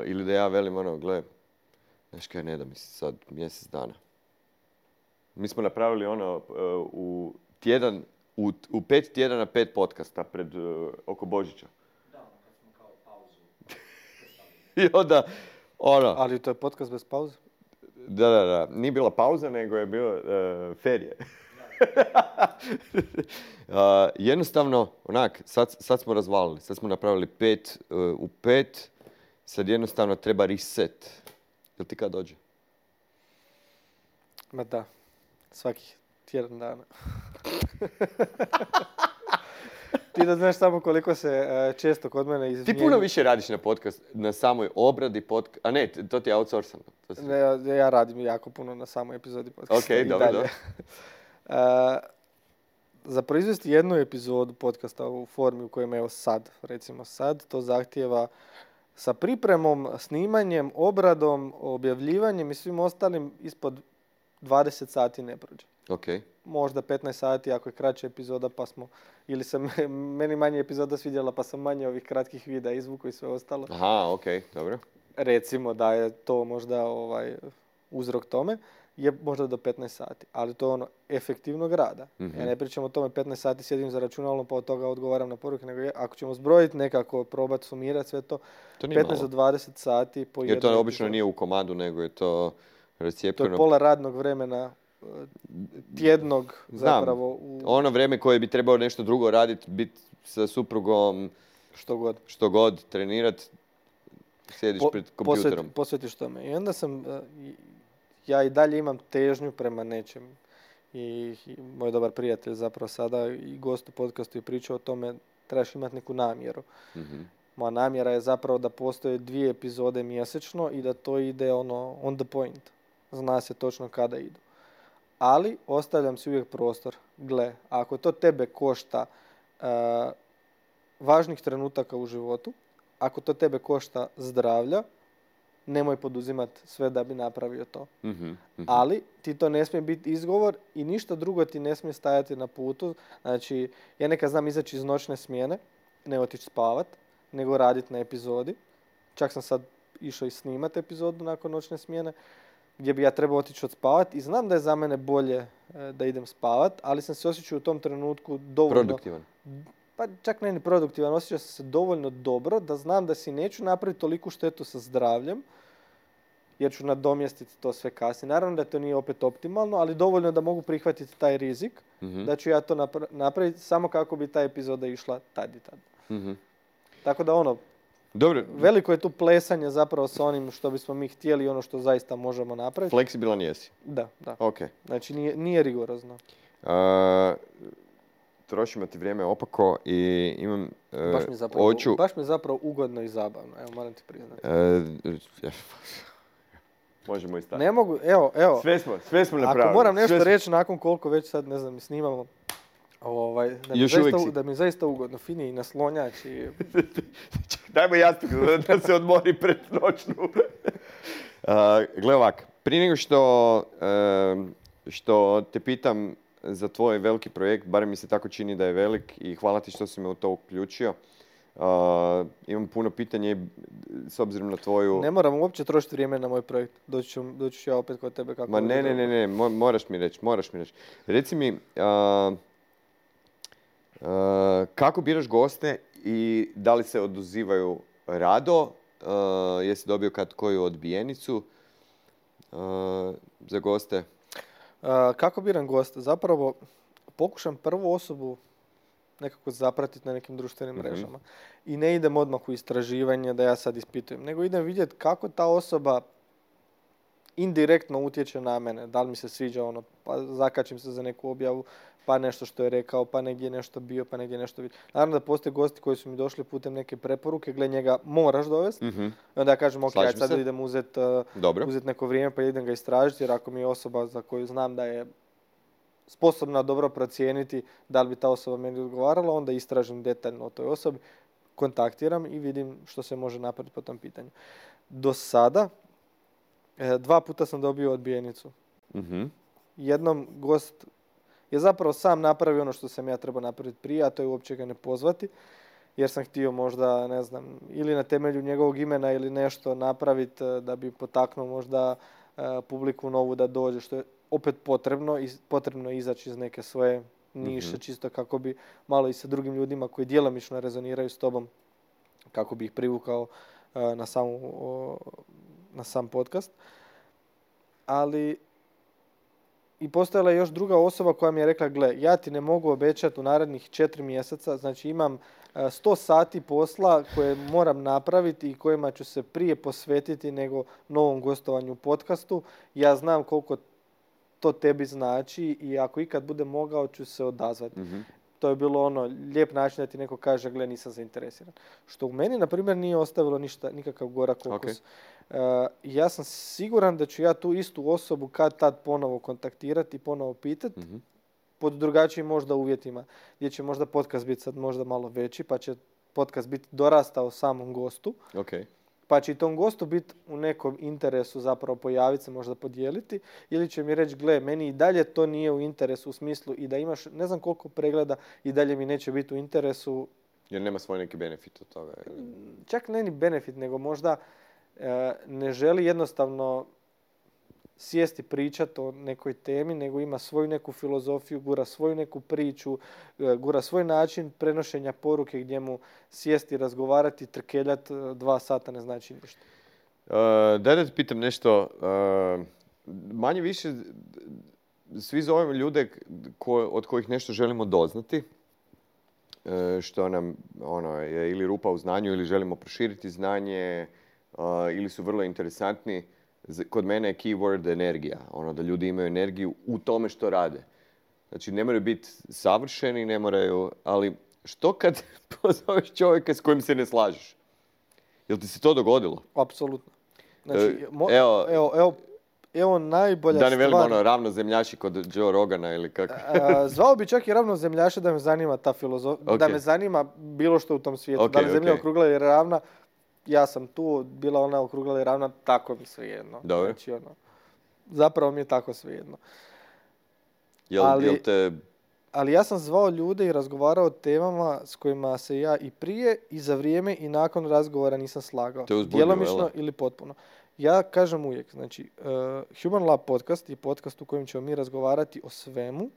Ili da ja velim gle, znaš kaj, ne da mi se sad mjesec dana. Mi smo napravili u 5 tjedana 5 podcasta pred oko Božića. Da, kad smo kao pauzu. I onda, Ali to je podcast bez pauze? Da. Nije bila pauza, nego je bilo ferije. Jednostavno, sad smo razvalili. Sad smo napravili 5 u 5. Sad jednostavno treba reset. Jel ti kad dođe? Ma da. Svakih tjedan dana. Ti da znaš samo koliko se često kod mene izmijenju. Ti puno više radiš na podcast, na samoj obradi podcast. A ne, to ti je outsourcano. Ja radim jako puno na samoj epizodi podcasta. Ok, dobro. Za proizvesti jednu epizodu podcasta u formi u kojem je recimo sad, to zahtijeva sa pripremom, snimanjem, obradom, objavljivanjem i svim ostalim ispod 20 sati ne prođe. Okay. Možda 15 sati ako je kraća epizoda pa smo, ili se meni manje epizoda svidjela pa sam manje ovih kratkih videa izvuku i sve ostalo. Aha, ok, dobro. Recimo da je to možda uzrok tome, je možda do 15 sati, ali to je efektivnog rada. Mm-hmm. Ja ne pričam o tome 15 sati sjedim za računalom pa od toga odgovaram na poruke, nego ako ćemo zbrojiti nekako, probati sumirati sve to 15 do 20 sati po jednom. Jer to obično nije u komadu, nego je to rascijepljeno. To je pola radnog vremena tjednog zapravo. Ono vrijeme koje bi trebao nešto drugo raditi, biti sa suprugom, što god trenirati, sjediš pred kompjuterom. Posvetiš tome. I onda sam, ja i dalje imam težnju prema nečem. I moj dobar prijatelj zapravo sada i gost u podcastu je pričao o tome, trebaš imati neku namjeru. Mm-hmm. Moja namjera je zapravo da postoje 2 epizode mjesečno i da to ide on the point. Zna se točno kada idu. Ali ostavljam si uvijek prostor. Gle, ako to tebe košta važnih trenutaka u životu, ako to tebe košta zdravlja, nemoj poduzimati sve da bi napravio to. Mhm, mhm. Ali ti to ne smije biti izgovor i ništa drugo ti ne smije stajati na putu. Znači, ja nekad znam izaći iz noćne smjene, ne otići spavat, nego raditi na epizodi. Čak sam sad išao i snimati epizodu nakon noćne smjene, gdje bi ja trebao otići odspavati i znam da je za mene bolje da idem spavat, ali sam se osjećao u tom trenutku dovoljno... Produktivan. Pa čak ne ni produktivan, osjećao sam se dovoljno dobro da znam da si neću napraviti toliku štetu sa zdravljem, jer ću nadomjestiti to sve kasnije. Naravno da to nije opet optimalno, ali dovoljno da mogu prihvatiti taj rizik, da ću ja to napraviti samo kako bi ta epizoda išla tad i tad. Tako da Dobro, veliko je tu plesanje zapravo sa onim što bismo mi htjeli i ono što zaista možemo napraviti. fleksibilan jesi. Da. Ok. Znači nije rigorozno. Trošimo ti vrijeme opako i imam... Baš mi je zapravo ugodno i zabavno, evo moram ti priznati. Možemo i stati. Ne mogu, evo. Sve smo napravili. Ako moram nešto reći nakon koliko već sad, ne znam, snimamo, da mi je zaista ugodno. Fini i naslonjač i... Dajmo jastuk da se odmori pred noćnu. Gle ovak, prije nego što te pitam za tvoj veliki projekt, barem mi se tako čini da je velik i hvala ti što si me u to uključio. Imam puno pitanja i s obzirom na tvoju... Ne moram uopće trošiti vrijeme na moj projekt. Doći ću ja opet kod tebe kako... Ma ne, moraš mi reći. Reci mi, kako biraš goste i da li se odazivaju rado? Jesi dobio kad koju odbijenicu za goste? Kako biram goste? Zapravo pokušam prvu osobu nekako zapratiti na nekim društvenim mrežama. I ne idem odmah u istraživanje da ja sad ispitujem, nego idem vidjeti kako ta osoba indirektno utječe na mene. Da li mi se sviđa pa zakačim se za neku objavu, pa nešto što je rekao, pa negdje je nešto bio, pa negdje je nešto vidio. Naravno da postoje gosti koji su mi došli putem neke preporuke, gle njega moraš dovesti. I onda ja kažem, ok, sad idem uzeti neko vrijeme pa idem ga istražiti, jer ako mi je osoba za koju znam da je sposobna dobro procijeniti da li bi ta osoba meni odgovarala, onda istražim detaljno o toj osobi, kontaktiram i vidim što se može napraviti po tom pitanju. Do sada 2 puta sam dobio odbijenicu. Jednom gost je zapravo sam napravio ono što sam ja trebao napraviti prije, a to je uopće ga ne pozvati, jer sam htio možda, ne znam, ili na temelju njegovog imena ili nešto napraviti da bi potaknuo možda publiku novu da dođe, što je opet potrebno izaći iz neke svoje niše, čisto kako bi malo i sa drugim ljudima koji djelomično rezoniraju s tobom, kako bi ih privukao na sam podcast. Ali i postojala je još druga osoba koja mi je rekla, gle, ja ti ne mogu obećati u narednih 4 mjeseca, znači imam 100 sati posla koje moram napraviti i kojima ću se prije posvetiti nego novom gostovanju u podcastu. Ja znam koliko to tebi znači i ako ikad budem mogao ću se odazvati. To je bilo lijep način da ti neko kaže, gle, nisam zainteresiran. Što u meni, na primjer, nije ostavilo nikakav gorak okus. Ja sam siguran da ću ja tu istu osobu kad tad ponovo kontaktirati i ponovo pitati, pod drugačijim možda uvjetima, gdje će možda podcast biti sad možda malo veći, pa će podcast biti dorastao samom gostu. Pa će i tom gostu biti u nekom interesu zapravo pojaviti se, možda podijeliti, ili će mi reći, gle, meni i dalje to nije u interesu u smislu i da imaš ne znam koliko pregleda i dalje mi neće biti u interesu. Jer nema svoj neki benefit od toga? Čak ne ni benefit, nego možda ne želi jednostavno sjesti pričati o nekoj temi, nego ima svoju neku filozofiju, gura svoju neku priču, gura svoj način prenošenja poruke gdje mu sjesti, razgovarati, trkeljati 2 sata ne znači ništa. Daj da ti pitam nešto. Manje više svi zovemo ljude od kojih nešto želimo doznati, što nam je ili rupa u znanju ili želimo proširiti znanje, ili su vrlo interesantni. Kod mene je keyword energija. Da ljudi imaju energiju u tome što rade. Znači, ne moraju biti savršeni, ne moraju, ali što kad pozoveš čovjeka s kojim se ne slažeš? Jel ti se to dogodilo? Apsolutno. Znači, evo najbolja stvar. Da ne velimo ravnozemljaši kod Joe Rogana ili kako. Zvao bi čak i ravnozemljaša da me zanima ta filozofija, da me zanima bilo što u tom svijetu. Da li zemlja okrugla ili ravna, ja sam tu, bila ona okrugla ili ravna, tako mi svejedno. Dobro. Znači, zapravo mi je tako svejedno. Jel te... Ali ja sam zvao ljude i razgovarao o temama s kojima se ja i prije, i za vrijeme, i nakon razgovora nisam slagao. Te uzbudljivo, Djelomično ili potpuno. Ja kažem uvijek, znači, Human Lab podcast je podcast u kojem ćemo mi razgovarati o svemu,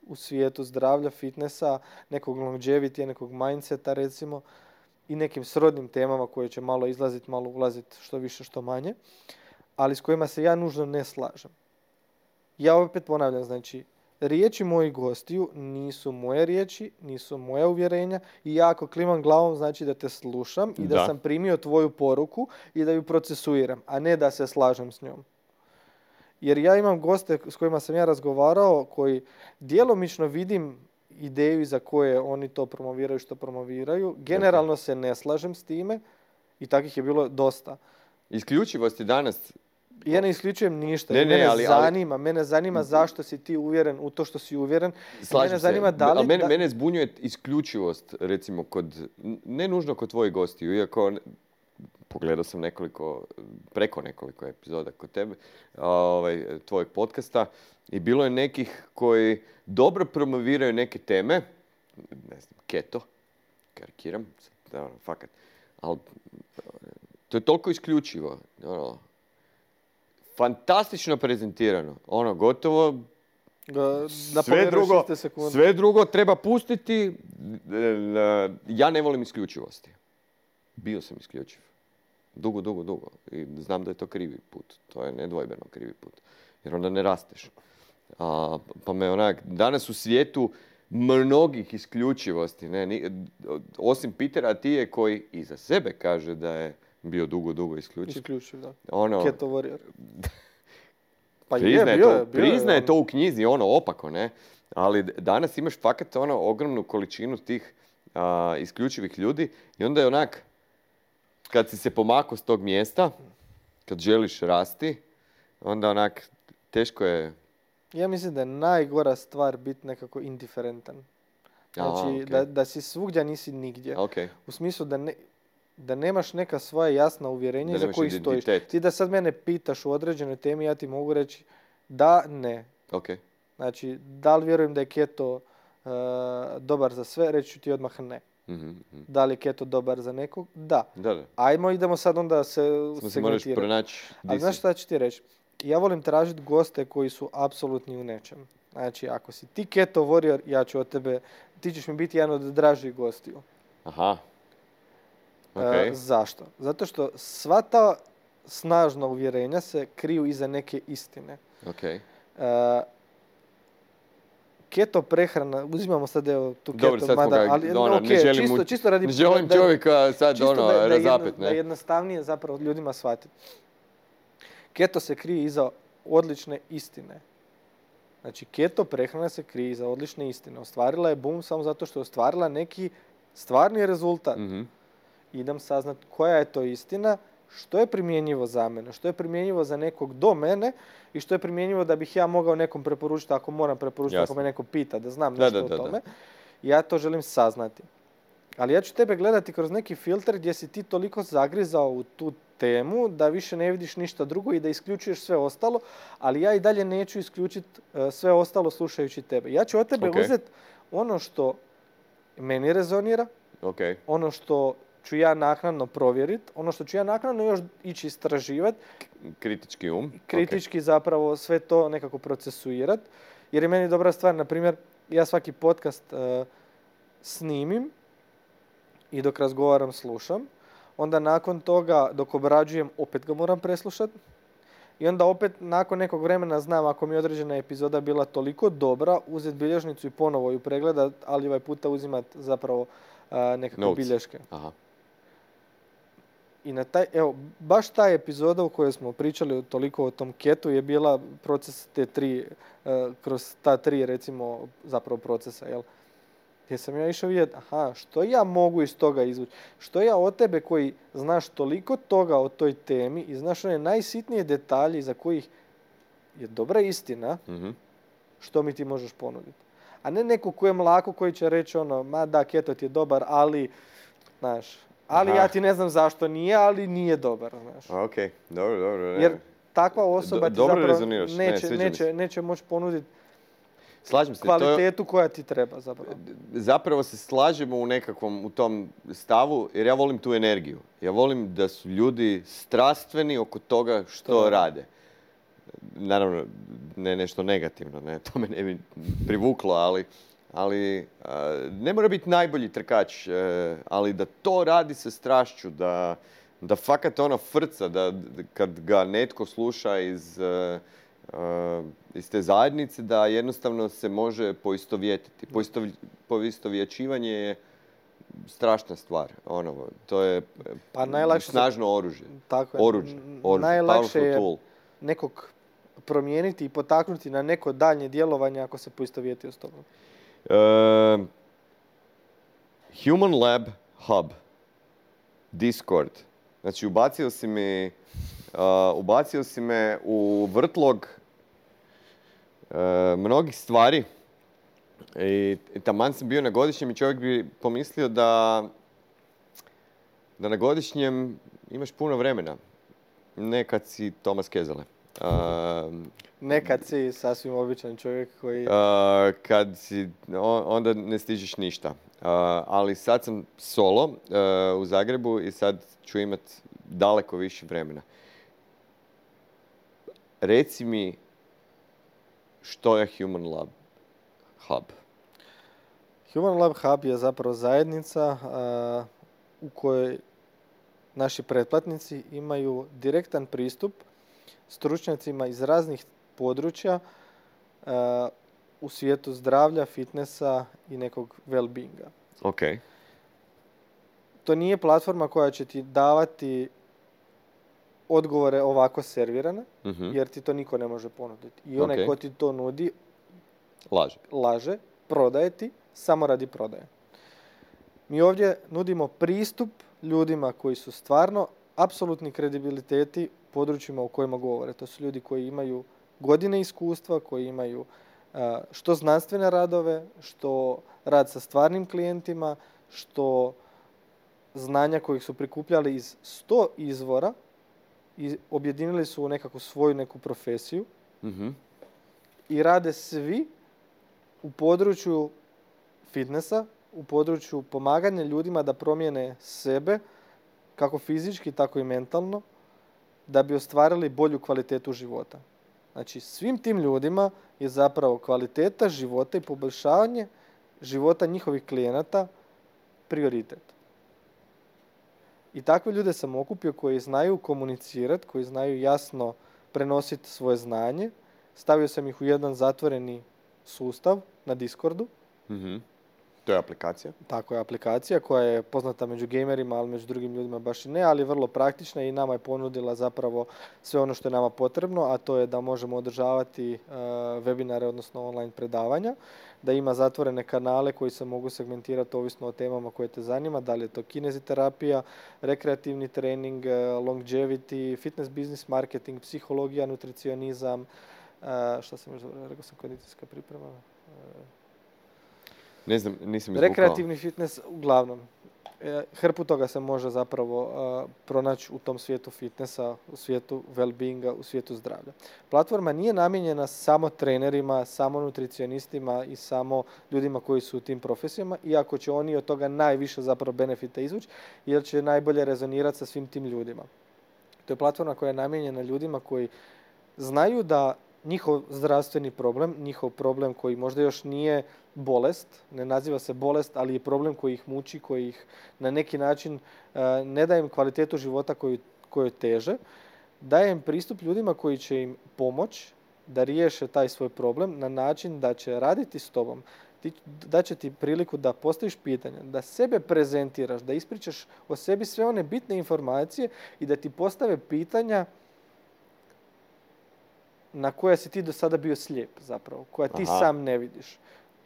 u svijetu zdravlja, fitnessa, nekog longevity, nekog mindseta recimo, i nekim srodnim temama koje će malo izlaziti, malo ulaziti, što više, što manje, ali s kojima se ja nužno ne slažem. Ja opet ponavljam, znači, riječi mojih gostiju nisu moje riječi, nisu moja uvjerenja, i ja ako klimam glavom znači da te slušam i da sam primio tvoju poruku i da ju procesuiram, a ne da se slažem s njom. Jer ja imam goste s kojima sam ja razgovarao koji djelomično vidim ideju za koje oni to promoviraju što promoviraju. Generalno se ne slažem s time i takvih je bilo dosta. Isključivost je danas... Ja ne isključujem ništa. Mene zanima zašto si ti uvjeren u to što si uvjeren. Slažem se. Mene zbunjuje isključivost, recimo, ne nužno kod tvojih gostiju, iako pogledao sam preko nekoliko epizoda kod tebe, tvojeg podcasta, i bilo je nekih koji dobro promoviraju neke teme, ne znam, keto, karikiram, fakat, ali to je toliko isključivo, fantastično prezentirano, gotovo sve drugo treba pustiti. Ja ne volim isključivosti. Bio sam isključiv. Dugo. I znam da je to krivi put. To je nedvojbeno krivi put. Jer onda ne rasteš. Pa me danas u svijetu mnogih isključivosti, osim Petera Atije koji i za sebe kaže da je bio dugo isključiv. Isključiv, da. Keto warrior. Pa priznaje to u knjizi, opako, ne? Ali danas imaš fakat ogromnu količinu tih isključivih ljudi i onda je kad si se pomakao s tog mjesta, kad želiš rasti, onda teško je... Ja mislim da je najgora stvar biti nekako indiferentan. Znači, da si svugdje, nisi nigdje. U smislu da nemaš neka svoja jasna uvjerenja iza kojih stojiš. Ti da sad mene pitaš u određenoj temi, ja ti mogu reći da, ne. Znači, da li vjerujem da je keto dobar za sve, reći ću ti odmah ne. Da li je keto dobar za nekog? Da. Idemo sad onda segmentirati. Ali znaš šta ću ti reći? Ja volim tražiti goste koji su apsolutni u nečem. Znači, ako si ti keto warrior, ja ću od tebe, ti ćeš mi biti jedan od dražih gostiju. Aha. Zašto? Zato što sva ta snažna uvjerenja se kriju iza neke istine. Keto prehrana, uzimamo sad tu keto, dobro, sad čisto radi... Ne želim čovjeka sad razapet, ne? Da jednostavnije zapravo ljudima shvatiti. Keto se krije iza odlične istine. Znači, keto prehrana se krije iza odlične istine. Ostvarila je boom samo zato što je ostvarila neki stvarni rezultat. Idem saznat koja je to istina, što je primjenjivo za mene, što je primjenjivo za nekog do mene i što je primjenjivo da bih ja mogao nekom preporučiti ako moram preporučiti, ako me neko pita, da znam nešto o tome. Ja to želim saznati. Ali ja ću tebe gledati kroz neki filter gdje si ti toliko zagrizao u tu temu da više ne vidiš ništa drugo i da isključuješ sve ostalo, ali ja i dalje neću isključiti sve ostalo slušajući tebe. Ja ću od tebe uzeti ono što meni rezonira, ono što ću ja naknadno provjeriti, ono što ću ja naknadno još ići istraživati. Kritički um. Kritički zapravo sve to nekako procesuirati. Jer je meni dobra stvar, na primjer, ja svaki podcast snimim i dok razgovaram slušam. Onda nakon toga dok obrađujem opet ga moram preslušati. I onda opet nakon nekog vremena znam ako mi je određena epizoda bila toliko dobra, uzeti bilježnicu i ponovo ju pregledat, ali ovaj puta uzimati zapravo nekakve bilješke. Aha. I baš ta epizoda u kojoj smo pričali toliko o tom ketu je bila proces kroz ta tri recimo zapravo procesa, jel? Gdje sam ja išao vidjeti, što ja mogu iz toga izvući? Što ja od tebe koji znaš toliko toga o toj temi i znaš one najsitnije detalje za kojih je dobra istina, što mi ti možeš ponuditi? A ne neko ko je mlako koji će reći keto ti je dobar, ali, znaš, Ali Aha. ja ti ne znam zašto nije, ali nije dobar, znaš. Ok, dobro. Ne. Jer takva osoba ti Dobro zapravo rezoniraš, ne, sviđa mi se. neće moći ponuditi Slažem se. kvalitetu koja ti treba zapravo. Zapravo se slažemo u tom stavu, jer ja volim tu energiju. Ja volim da su ljudi strastveni oko toga što rade. Naravno, ne nešto negativno, ne, to me ne bi privuklo, ali ne mora biti najbolji trkač, ali da to radi sa strašću, da fakat ono frca, da kad ga netko sluša iz te zajednice, da jednostavno se može poistovjetiti. Poistovjećivanje je strašna stvar. To je snažno oružje. Tako je. Oruđe. Najlakše je tool. nekog promijeniti i potaknuti na neko daljnje djelovanje ako se poistovjetio s tobom. Human Lab Hub. Discord. Znači, ubacio si me u vrtlog mnogih stvari i taman sam bio na godišnjem i čovjek bi pomislio da na godišnjem imaš puno vremena. Ne kad si Tomas Kezele. Nekad si sasvim običan čovjek koji... Kad si, onda ne stižeš ništa. Ali sad sam solo u Zagrebu i sad ću imat daleko više vremena. Reci mi što je Human Lab Hub? Human Lab Hub je zapravo zajednica u kojoj naši pretplatnici imaju direktan pristup stručnjacima iz raznih područja u svijetu zdravlja, fitnessa i nekog well-beinga. Ok. To nije platforma koja će ti davati odgovore ovako servirane, jer ti to niko ne može ponuditi. I onaj ko ti to nudi, laže, prodaje ti, samo radi prodaje. Mi ovdje nudimo pristup ljudima koji su stvarno apsolutni kredibiliteti u područjima u kojima govore. To su ljudi koji imaju godine iskustva, koji imaju što znanstvene radove, što rad sa stvarnim klijentima, što znanja kojih su prikupljali iz 100 izvora i objedinili su u nekakvu svoju neku profesiju i rade svi u području fitnessa, u području pomaganja ljudima da promijene sebe, kako fizički, tako i mentalno, da bi ostvarili bolju kvalitetu života. Znači, svim tim ljudima je zapravo kvaliteta života i poboljšavanje života njihovih klijenata prioritet. I takve ljude sam okupio koji znaju komunicirati, koji znaju jasno prenositi svoje znanje. Stavio sam ih u jedan zatvoreni sustav na Discordu. To je aplikacija? Tako je, aplikacija koja je poznata među gamerima, ali među drugim ljudima baš i ne, ali je vrlo praktična i nama je ponudila zapravo sve ono što je nama potrebno, a to je da možemo održavati webinare, odnosno online predavanja, da ima zatvorene kanale koji se mogu segmentirati ovisno o temama koje te zanima, da li je to kineziterapija, rekreativni trening, longevity, fitness business marketing, psihologija, nutricionizam, šta sam još rekao sam, kondicijska priprema. Ne znam, nisam izvukao. Rekreativni fitness, uglavnom. Hrpu toga se može zapravo pronaći u tom svijetu fitnessa, u svijetu well-beinga, u svijetu zdravlja. Platforma nije namijenjena samo trenerima, samo nutricionistima i samo ljudima koji su u tim profesijama, iako će oni od toga najviše zapravo benefita izvući, jer će najbolje rezonirati sa svim tim ljudima. To je platforma koja je namijenjena ljudima koji znaju da njihov zdravstveni problem, njihov problem koji možda još nije bolest, ne naziva se bolest, ali je problem koji ih muči, koji ih na neki način ne daje im kvalitetu života koju teže, daje im pristup ljudima koji će im pomoći da riješe taj svoj problem na način da će raditi s tobom, da će ti priliku da postaviš pitanja, da sebe prezentiraš, da ispričaš o sebi sve one bitne informacije i da ti postave pitanja na koja si ti do sada bio slijep zapravo, koja ti sam ne vidiš.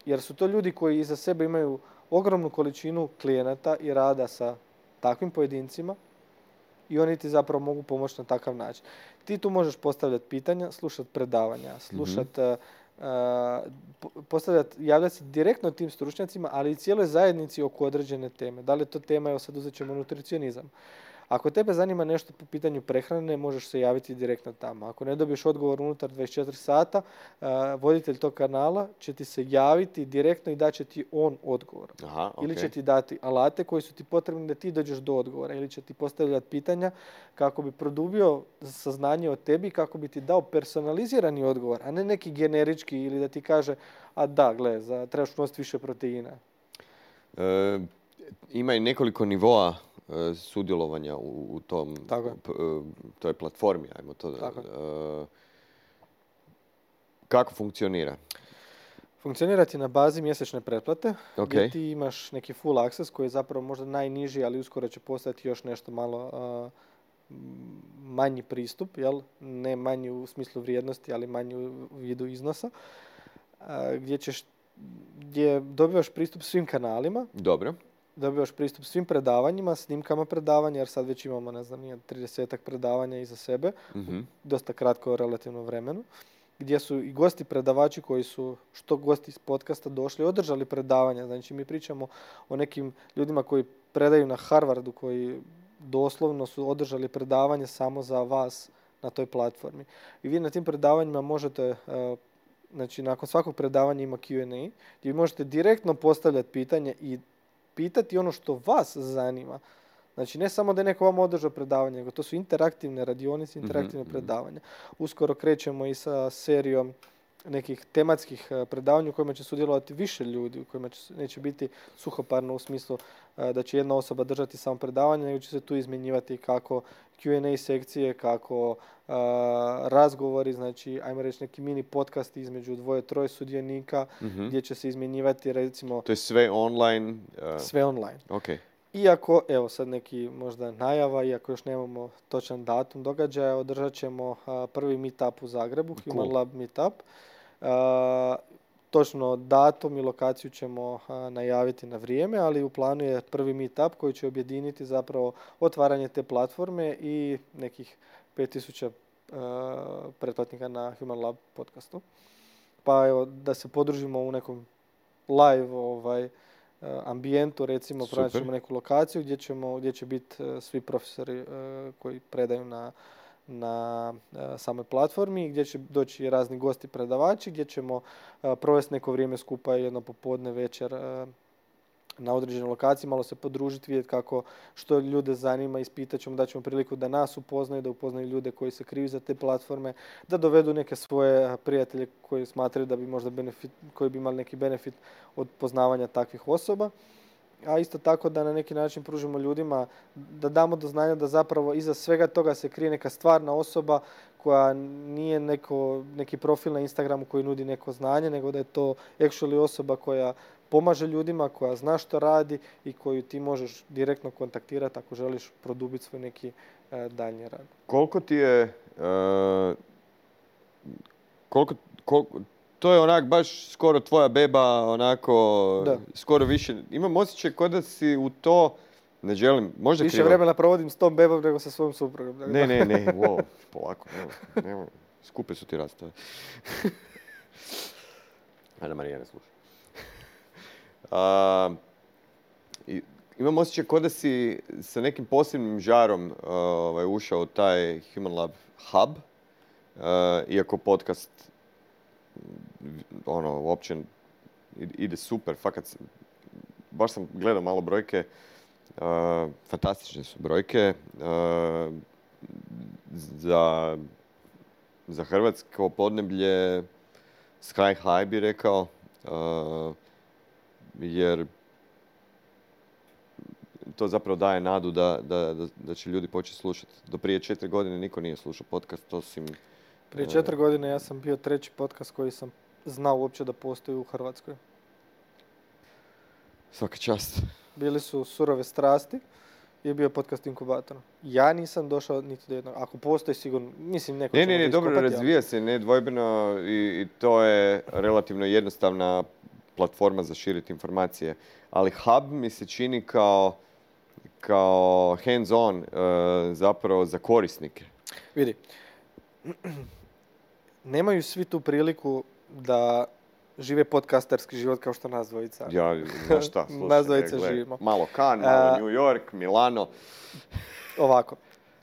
Jer su to ljudi koji iza sebe imaju ogromnu količinu klijenata i rada sa takvim pojedincima i oni ti zapravo mogu pomoći na takav način. Ti tu možeš postavljati pitanja, slušati predavanja, slušati javljati se direktno tim stručnjacima, ali i cijeloj zajednici oko određene teme. Da li je to tema, evo sad uzet ćemo nutricionizam. Ako tebe zanima nešto po pitanju prehrane, možeš se javiti direktno tamo. Ako ne dobiješ odgovor unutar 24 sata, voditelj tog kanala će ti se javiti direktno i daće ti on odgovor. Aha, okay. Ili će ti dati alate koji su ti potrebni da ti dođeš do odgovora. Ili će ti postavljati pitanja kako bi produbio saznanje o tebi, kako bi ti dao personalizirani odgovor, a ne neki generički ili da ti kaže, a da, gle, trebaš unositi više proteina. Ima i nekoliko nivoa sudjelovanja u tom, toj platformi, ajmo to da... Kako funkcionira? Funkcionira ti na bazi mjesečne pretplate, Okay. gdje ti imaš neki full access koji je zapravo možda najniži, ali uskoro će postati još nešto malo manji pristup, jel? Ne manji u smislu vrijednosti, ali manji u vidu iznosa, gdje dobivaš pristup svim kanalima. Dobro. Dobivaš pristup svim predavanjima, snimkama predavanja, jer sad već imamo, 30-ak predavanja iza sebe, dosta kratko relativno vremenu, gdje su i gosti predavači koji su, što gosti iz podcasta došli, održali predavanja. Znači, mi pričamo o nekim ljudima koji predaju na Harvardu, koji doslovno su održali predavanje samo za vas na toj platformi. I vi na tim predavanjima možete... Znači, nakon svakog predavanja ima Q&A, gdje možete direktno postavljati pitanje i pitati ono što vas zanima. Znači, ne samo da je neko vam održao predavanje, nego to su interaktivne radionice, interaktivne predavanja. Uskoro krećemo i sa serijom nekih tematskih predavanja u kojima će sudjelovati više ljudi, u kojima neće biti suhoparno u smislu da će jedna osoba držati samo predavanje, nego će se tu izmjenjivati kako Q&A sekcije, kako razgovori, znači, ajmo reći, neki mini podcast između 2-3 sudionika, gdje će se izmjenjivati, recimo... To je sve online? Sve online. Okay. Iako, evo sad neki možda najava, iako još nemamo točan datum događaja, održat ćemo prvi meetup u Zagrebu, Human Lab meetup. Točno datum i lokaciju ćemo najaviti na vrijeme, ali u planu je prvi meetup koji će objediniti zapravo otvaranje te platforme i nekih 5000 pretplatnika na Human Lab podcastu. Pa evo, da se podružimo u nekom live ambijentu, recimo, pronaćemo neku lokaciju gdje će biti svi profesori koji predaju na samoj platformi, gdje će doći razni gosti predavači, gdje ćemo provesti neko vrijeme skupa, jedno popodne, večer na određenoj lokaciji, malo se podružiti, vidjeti što ljude zanima, ispitat ćemo, da ćemo priliku da nas upoznaju, da upoznaju ljude koji se kriju za te platforme, da dovedu neke svoje prijatelje koji smatraju da bi možda koji bi imali neki benefit od poznavanja takvih osoba. A isto tako da na neki način pružimo ljudima, da damo do znanja da zapravo iza svega toga se krije neka stvarna osoba koja nije neki profil na Instagramu koji nudi neko znanje, nego da je to actually osoba koja pomaže ljudima, koja zna što radi i koju ti možeš direktno kontaktirati ako želiš produbiti svoj neki daljnji rad. Koliko ti je... To je onak baš skoro tvoja beba, onako, da. Skoro više. Imam osjećaj kao da si u to, ne želim, možda više krivo. vremena provodim s tom bebom nego sa svojom suprugom. Ne, wow, polako, nemoj. Skupe su ti rastave. Ajde, Marija, ne slušaj. Imam osjećaj kao da si sa nekim posebnim žarom ušao u taj Human Lab hub, iako podcast uopće ide super, fakat, baš sam gledao malo brojke, fantastične su brojke, za hrvatsko podneblje sky high bi rekao, jer to zapravo daje nadu da će ljudi početi slušati. Do prije 4 godine niko nije slušao podcast, osim... Prije 4 godine ja sam bio 3. podcast koji sam znao uopće da postoji u Hrvatskoj. Svaka čast. Bili su Surove strasti i je bio podcast Inkubator. Ja nisam došao niti do jednog. Ako postoji sigurno, mislim neko će Ne, dobro razvija se, nedvojbeno i to je relativno jednostavna platforma za širiti informacije. Ali hub mi se čini kao hands-on zapravo za korisnike. Vidi, nemaju svi tu priliku da žive podcasterski život kao što nas dvojica. Ja, znaš šta, slušaj, Nas dvojica gle, živimo. malo Cannes, malo New York, Milano. Ovako,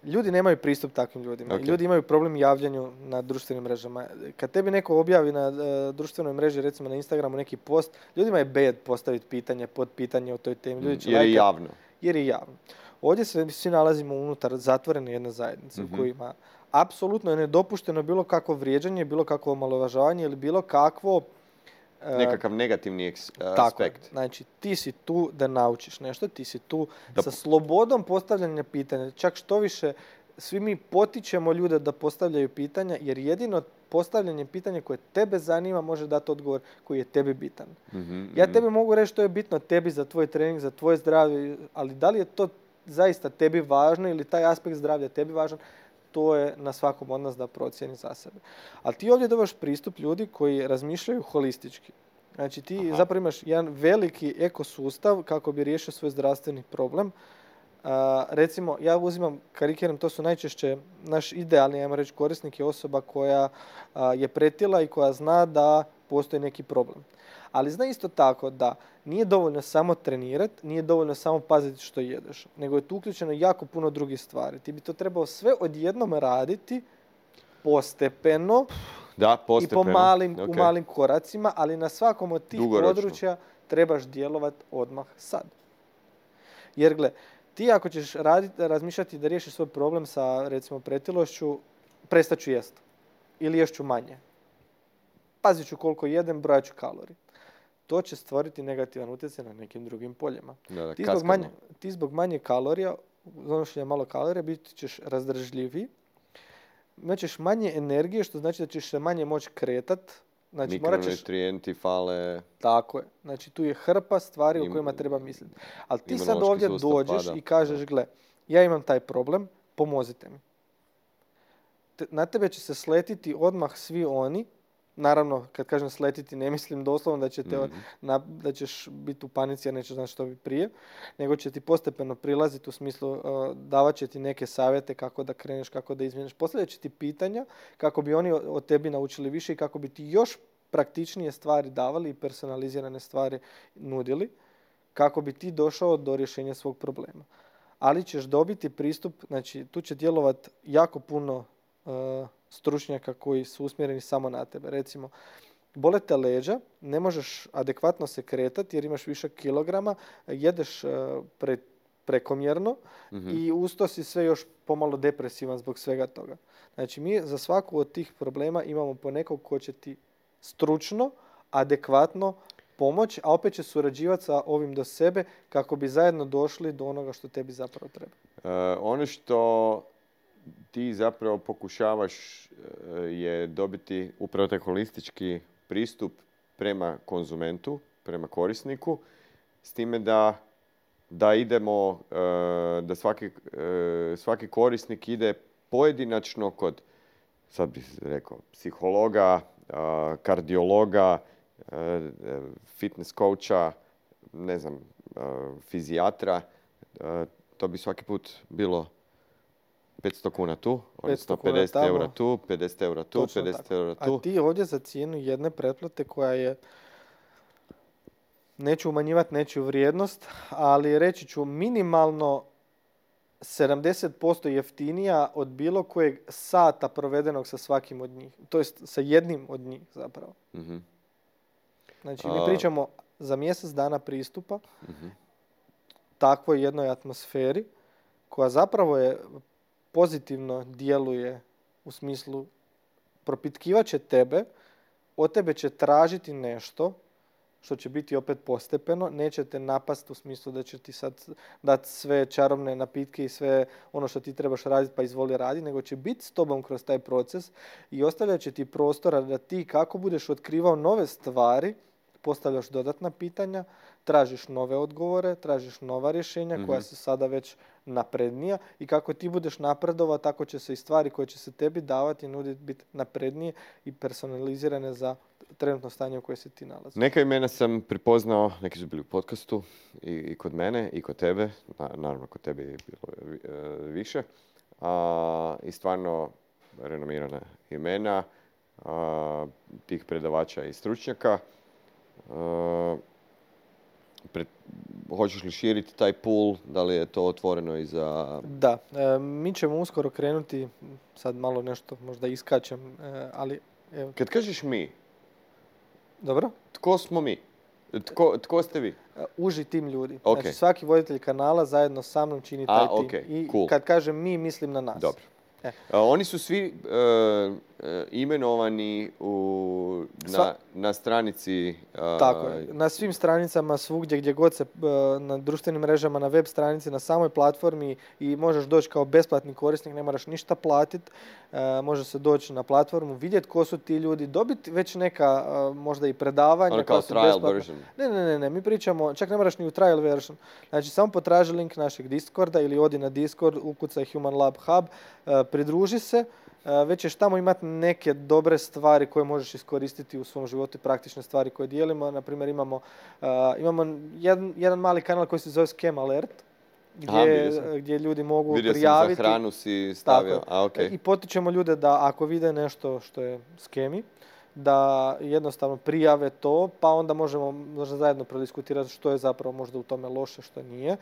ljudi nemaju pristup takvim ljudima. Ok. Ljudi imaju problem javljanju na društvenim mrežama. Kad tebi neko objavi na društvenoj mreži, recimo na Instagramu neki post, ljudima je bed postaviti pitanje, podpitanje o toj temi. Ljudi će Jer je lajkati- javno. Jer je javno. Ovdje se svi nalazimo unutar zatvorene jedne zajednice u kojima apsolutno je nedopušteno bilo kakvo vrijeđanje, bilo kakvo omalovažavanje ili bilo kakvo Nekakav negativni tako je. aspekt. Znači, ti si tu da naučiš nešto, ti si tu Da- sa slobodom postavljanja pitanja. Čak što više, svi mi potičemo ljude da postavljaju pitanja, jer jedino postavljanje pitanja koje tebe zanima može dati odgovor koji je tebi bitan. Ja tebi mogu reći što je bitno tebi za tvoj trening, za tvoje zdravlje, ali da li je to zaista tebi važno ili taj aspekt zdravlja tebi važan, to je na svakom od nas da procijeni za sebe. Ali ti ovdje dobiš pristup ljudi koji razmišljaju holistički. Znači ti zapravo imaš jedan veliki ekosustav kako bi riješio svoj zdravstveni problem. Recimo, ja uzimam, karikiram, to su najčešće naš idealni, ajmo reći, korisnik je osoba koja je pretila i koja zna da postoji neki problem. Ali zna isto tako da nije dovoljno samo trenirati, nije dovoljno samo paziti što jedeš, nego je tu uključeno jako puno drugih stvari. Ti bi to trebao sve odjednom raditi postepeno Da, i postepeno. u Ok. malim koracima, ali na svakom od tih Dugoročno. područja trebaš djelovati odmah sad. Jer gle, ti ako ćeš razmišljati da riješiš svoj problem sa, recimo, pretilošću, prestat ću jest. Ili ješću manje. Pazit ću koliko jedem, brojat ću kalorije. To će stvoriti negativan utjecaj na nekim drugim poljima. Da, Ti zbog manje kalorija, donošenja malo kalorija, bit ćeš razdržljiviji, imat ćeš manje energije, što znači da ćeš se manje moći kretat. Znači, morat ćeš... Mikronutrijenti fale. Tako je. Znači, tu je hrpa stvari o kojima treba misliti. Ali ti sad imunološki ovdje sustav dođeš pada. i kažeš, gle, ja imam taj problem, pomozite mi. Na tebe će se sletiti odmah svi oni. Naravno, kad kažem sletiti, ne mislim doslovno da, da ćeš biti u panici, a nećeš znati što bi prije, nego će ti postepeno prilaziti u smislu davat će ti neke savjete kako da kreneš, kako da izmjeniš. Postavljat će ti pitanja kako bi oni od tebi naučili više i kako bi ti još praktičnije stvari davali i personalizirane stvari nudili, kako bi ti došao do rješenja svog problema. Ali ćeš dobiti pristup, znači tu će djelovati jako puno stručnjaka koji su usmjereni samo na tebe. Recimo, bole te leđa, ne možeš adekvatno se kretati jer imaš višak kilograma, jedeš prekomjerno i uz to si sve još pomalo depresivan zbog svega toga. Znači, mi za svaku od tih problema imamo po nekog ko će ti stručno, adekvatno pomoć, a opet će surađivati sa ovim do sebe kako bi zajedno došli do onoga što tebi zapravo treba. Ono što ti zapravo pokušavaš je dobiti upravo taj holistički pristup prema konzumentu, prema korisniku, s time da idemo, da svaki korisnik ide pojedinačno kod, sad bih rekao, psihologa, kardiologa, fitness coacha, ne znam, fizijatra. To bi svaki put bilo 500 kuna tu, odnosno 50 eura tu, 50 eura tu, Točno 50 tako. eura tu. A ti ovdje za cijenu jedne pretplate koja je, neću umanjivati nečiju vrijednost, ali reći ću minimalno 70% jeftinija od bilo kojeg sata provedenog sa svakim od njih. To jest sa jednim od njih zapravo. Znači mi pričamo za mjesec dana pristupa takvoj jednoj atmosferi koja zapravo je pozitivno djeluje u smislu propitkivat će tebe, od tebe će tražiti nešto što će biti opet postepeno, neće te napast u smislu da će ti sad dati sve čarobne napitke i sve ono što ti trebaš raditi pa izvoli raditi, nego će biti s tobom kroz taj proces i ostavljat će ti prostora da ti kako budeš otkrivao nove stvari, postavljaš dodatna pitanja, tražiš nove odgovore, tražiš nova rješenja koja su sada već naprednija i kako ti budeš napredovao, tako će se i stvari koje će se tebi davati i nuditi biti naprednije i personalizirane za trenutno stanje u kojem se ti nalazi. Neka imena sam prepoznao, neki su bili u podcastu i kod mene i kod tebe, naravno kod tebe je bilo više, i stvarno renomirana imena. tih predavača i stručnjaka. Hoćeš li širiti taj pool? Da li je to otvoreno i za... Da, mi ćemo uskoro krenuti, sad malo nešto možda iskačem, ali evo. Kad kažeš mi, Dobro? tko smo mi? Tko ste vi? Uži tim ljudi. Ok. Znači svaki voditelj kanala zajedno sa mnom čini taj tim. ok, I cool. kad kažem mi, mislim na nas. Dobro. Oni su svi imenovani na stranici... Tako je. Na svim stranicama, svugdje gdje god se, na društvenim mrežama, na web stranici, na samoj platformi i možeš doći kao besplatni korisnik, ne moraš ništa platiti. Može se doći na platformu, vidjeti ko su ti ljudi, dobiti već neka možda i predavanja. Ono kao trial version. Ne, mi pričamo, čak ne moraš ni u trial version. Znači samo potraži link našeg Discorda ili odi na Discord, ukucaj Human Lab Hub, pridruži se. Već ćeš tamo imati neke dobre stvari koje možeš iskoristiti u svom životu i praktične stvari koje dijelimo. Naprimjer, imamo jedan mali kanal koji se zove Scam Alert, gdje ljudi mogu prijaviti. Vidio sam za hranu si stavio. I potičemo ljude da ako vide nešto što je skemi, da jednostavno prijave to, pa onda možemo zajedno prodiskutirati što je zapravo možda u tome loše, što nije.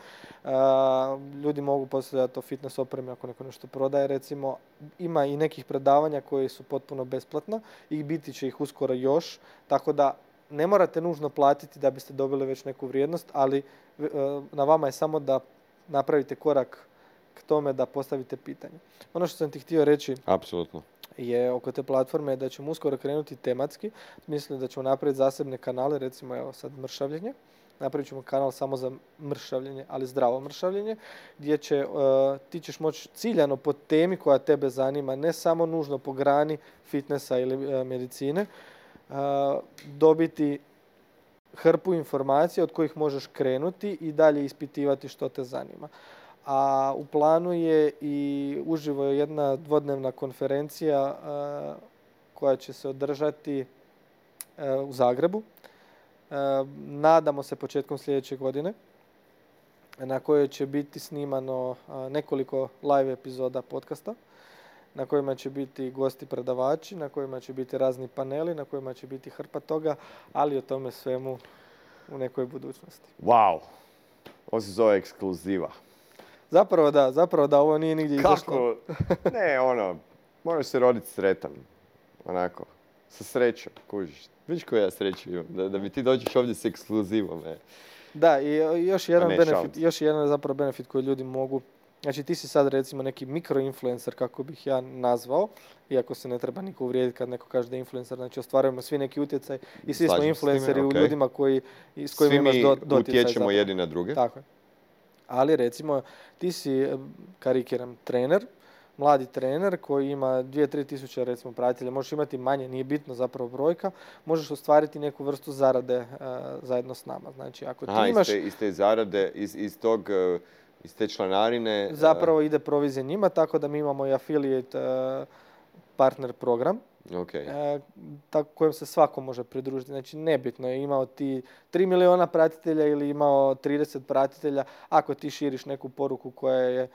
Ljudi mogu postavljati to fitness opreme ako neko nešto prodaje, recimo. Ima i nekih predavanja koji su potpuno besplatna i biti će ih uskoro još, tako da ne morate nužno platiti da biste dobili već neku vrijednost, ali na vama je samo da napravite korak k tome da postavite pitanje. Ono što sam ti htio reći... Apsolutno. Je oko te platforme da ćemo uskoro krenuti tematski. Mislim da ćemo napraviti zasebne kanale, recimo evo sad mršavljenje. Napravit ćemo kanal samo za mršavljenje, ali zdravo mršavljenje, gdje ti ćeš moći ciljano po temi koja tebe zanima, ne samo nužno po grani fitnessa ili medicine, dobiti hrpu informacija od kojih možeš krenuti i dalje ispitivati što te zanima. A u planu je i uživo jedna dvodnevna konferencija koja će se održati u Zagrebu. Nadamo se početkom sljedeće godine, na kojoj će biti snimano nekoliko live epizoda podcasta, na kojima će biti gosti predavači, na kojima će biti razni paneli, na kojima će biti hrpa toga, ali o tome svemu u nekoj budućnosti. Wow! Ovo se zove ekskluziva. Zapravo da ovo nije nigdje izašlo. Kako? Ne, moraš se roditi sretan. Onako, sa srećom, kužiš. Viš koju ja sreću imam, da mi ti dođeš ovdje s ekskluzivom. Da, i još jedan zapravo benefit koji ljudi mogu. Znači ti si sad recimo neki mikroinfluencer, kako bih ja nazvao, iako se ne treba niko uvrijediti kad neko kaže da je influencer, znači ostvarujemo svi neki utjecaj i svi smo influenceri u ljudima s kojima imaš doticaj. Svi mi utječemo jedni na druge. Tako je. Ali recimo ti si, karikiram, trener, mladi trener koji ima 2-3 tisuće recimo pratitelja, možeš imati manje, nije bitno zapravo brojka, možeš ostvariti neku vrstu zarade zajedno s nama. Znači ako ti imaš... iz te zarade, iz te članarine... Zapravo ide provizija njima, tako da mi imamo i affiliate partner program. Tako kojem se svako može pridružiti. Znači nebitno je imao ti 3 miliona pratitelja ili imao 30 pratitelja. Ako ti širiš neku poruku koja je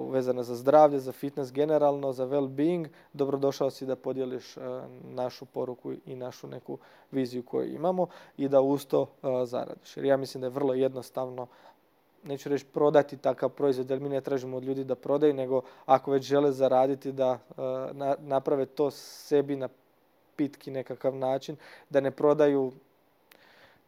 vezana za zdravlje, za fitness generalno, za well-being, dobrodošao si da podijeliš našu poruku i našu neku viziju koju imamo i da uz to zaradiš. Jer ja mislim da je vrlo jednostavno, neću reći prodati takav proizvod, jer mi ne tražimo od ljudi da prodaju, nego ako već žele zaraditi da naprave to sebi na pitki nekakav način, da ne prodaju,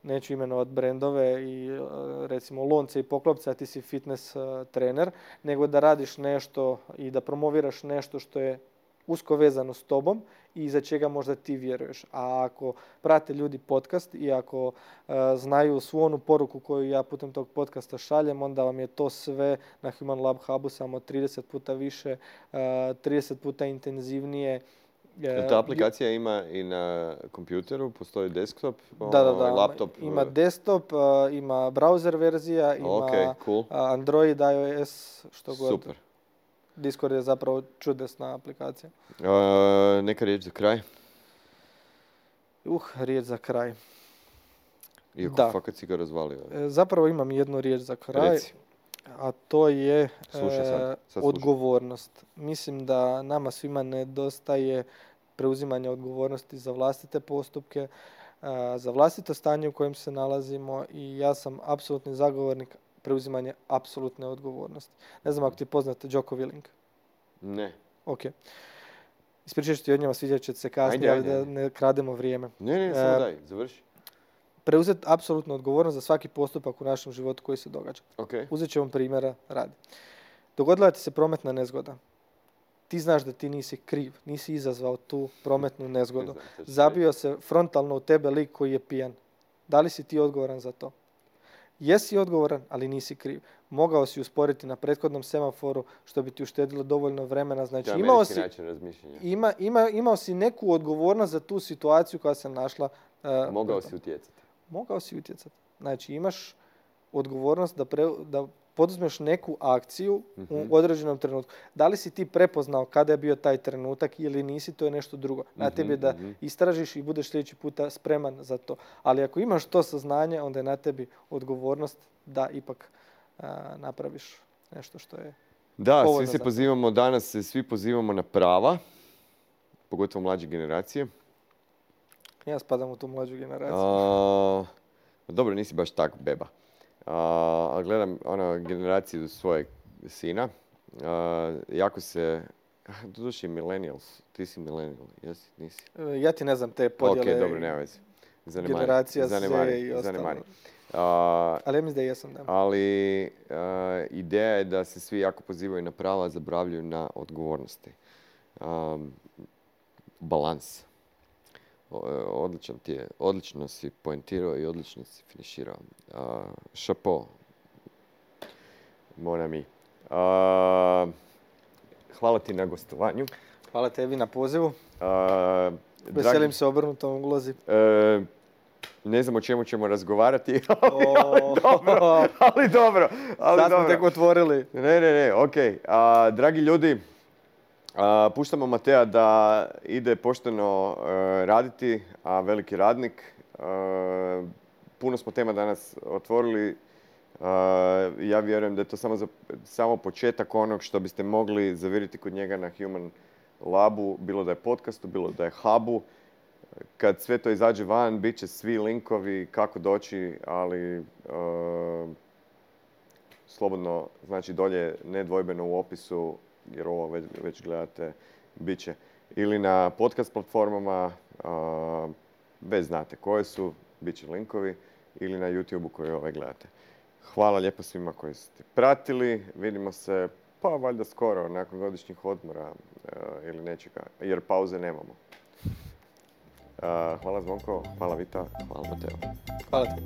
neću imenovati brendove i recimo lonce i poklopce, a ti si fitness trener, nego da radiš nešto i da promoviraš nešto što je usko vezano s tobom i za čega možda ti vjeruješ. A ako prate ljudi podcast i ako znaju svu onu poruku koju ja putem tog podcasta šaljem, onda vam je to sve na Human Lab Hubu samo 30 puta više, 30 puta intenzivnije. Ta aplikacija ima i na kompjuteru, postoji desktop, laptop? Ima desktop, ima browser verzija, ima Android, iOS, što god. Super. Discord je zapravo čudesna aplikacija. Neka riječ za kraj? Riječ za kraj. Iako fakat si ga razvalio. Zapravo imam jednu riječ za kraj. Reci. A to je sad odgovornost. Mislim da nama svima nedostaje preuzimanja odgovornosti za vlastite postupke, za vlastito stanje u kojem se nalazimo i ja sam apsolutni zagovornik preuzimanja apsolutne odgovornosti. Ne znam ako ti poznate Jocko Willink. Ne. Ok. Ispričat ću ti od njima, svidjet će se kasnije, ali da ne krademo vrijeme. Ne, samo daj, završi. Preuzeti apsolutnu odgovornost za svaki postupak u našem životu koji se događa. Okay. Uzet ću vam primjera radi. Dogodila ti se prometna nezgoda. Ti znaš da ti nisi kriv, nisi izazvao tu prometnu nezgodu. Zabio se frontalno u tebe lik koji je pijan. Da li si ti odgovoran za to? Jesi odgovoran, ali nisi kriv. Mogao si usporiti na prethodnom semaforu, što bi ti uštedilo dovoljno vremena. Znači, imao si neku odgovornost za tu situaciju koja se našla. Mogao si utjecati. Mogao si utjecati. Znači, imaš odgovornost da poduzmeš neku akciju u određenom trenutku. Da li si ti prepoznao kada je bio taj trenutak ili nisi, to je nešto drugo. Na tebi je da istražiš i budeš sljedeći puta spreman za to. Ali ako imaš to saznanje, onda je na tebi odgovornost da ipak napraviš nešto što je da, svi se pozivamo danas, svi pozivamo na prava, pogotovo mlađe generacije. Ja spadam u tu mlađu generaciju. Dobro, nisi baš tak beba. Gledam generaciju svojeg sina. Jako se... Doduše millennials. Ti si millennial, jesi? Nisi? Ja ti ne znam te podjele. Ok, dobro, nema veze. Generacija Z i ostalo. Ali ja mislim da jesam, da. Ali ideja je da se svi jako pozivaju na prava, zaboravljaju na odgovornosti. Balans. Odlično si poentirao i odlično si finiširao. Šapo. Mon ami. Hvala ti na gostovanju. Hvala tebi na pozivu. Veselim se obrnutom ulozi. Ne znam o čemu ćemo razgovarati, ali dobro. Sad smo tek otvorili. Ne, okej. Dragi ljudi, puštamo Mateja da ide pošteno raditi, a veliki radnik. Puno smo tema danas otvorili. Ja vjerujem da je to samo početak onog što biste mogli zaviriti kod njega na Human Labu, bilo da je podcastu, bilo da je hubu. Kad sve to izađe van, bit će svi linkovi kako doći, ali slobodno, znači dolje nedvojbeno u opisu, jer ovo već gledate, bit će ili na podcast platformama, već znate koje su, bit će linkovi, ili na YouTube-u koji gledate. Hvala lijepo svima koji ste pratili, vidimo se pa valjda skoro, nakon godišnjih odmora ili nečega, jer pauze nemamo. Hvala Zvonko, hvala Vita, hvala Mateo. Hvala ti.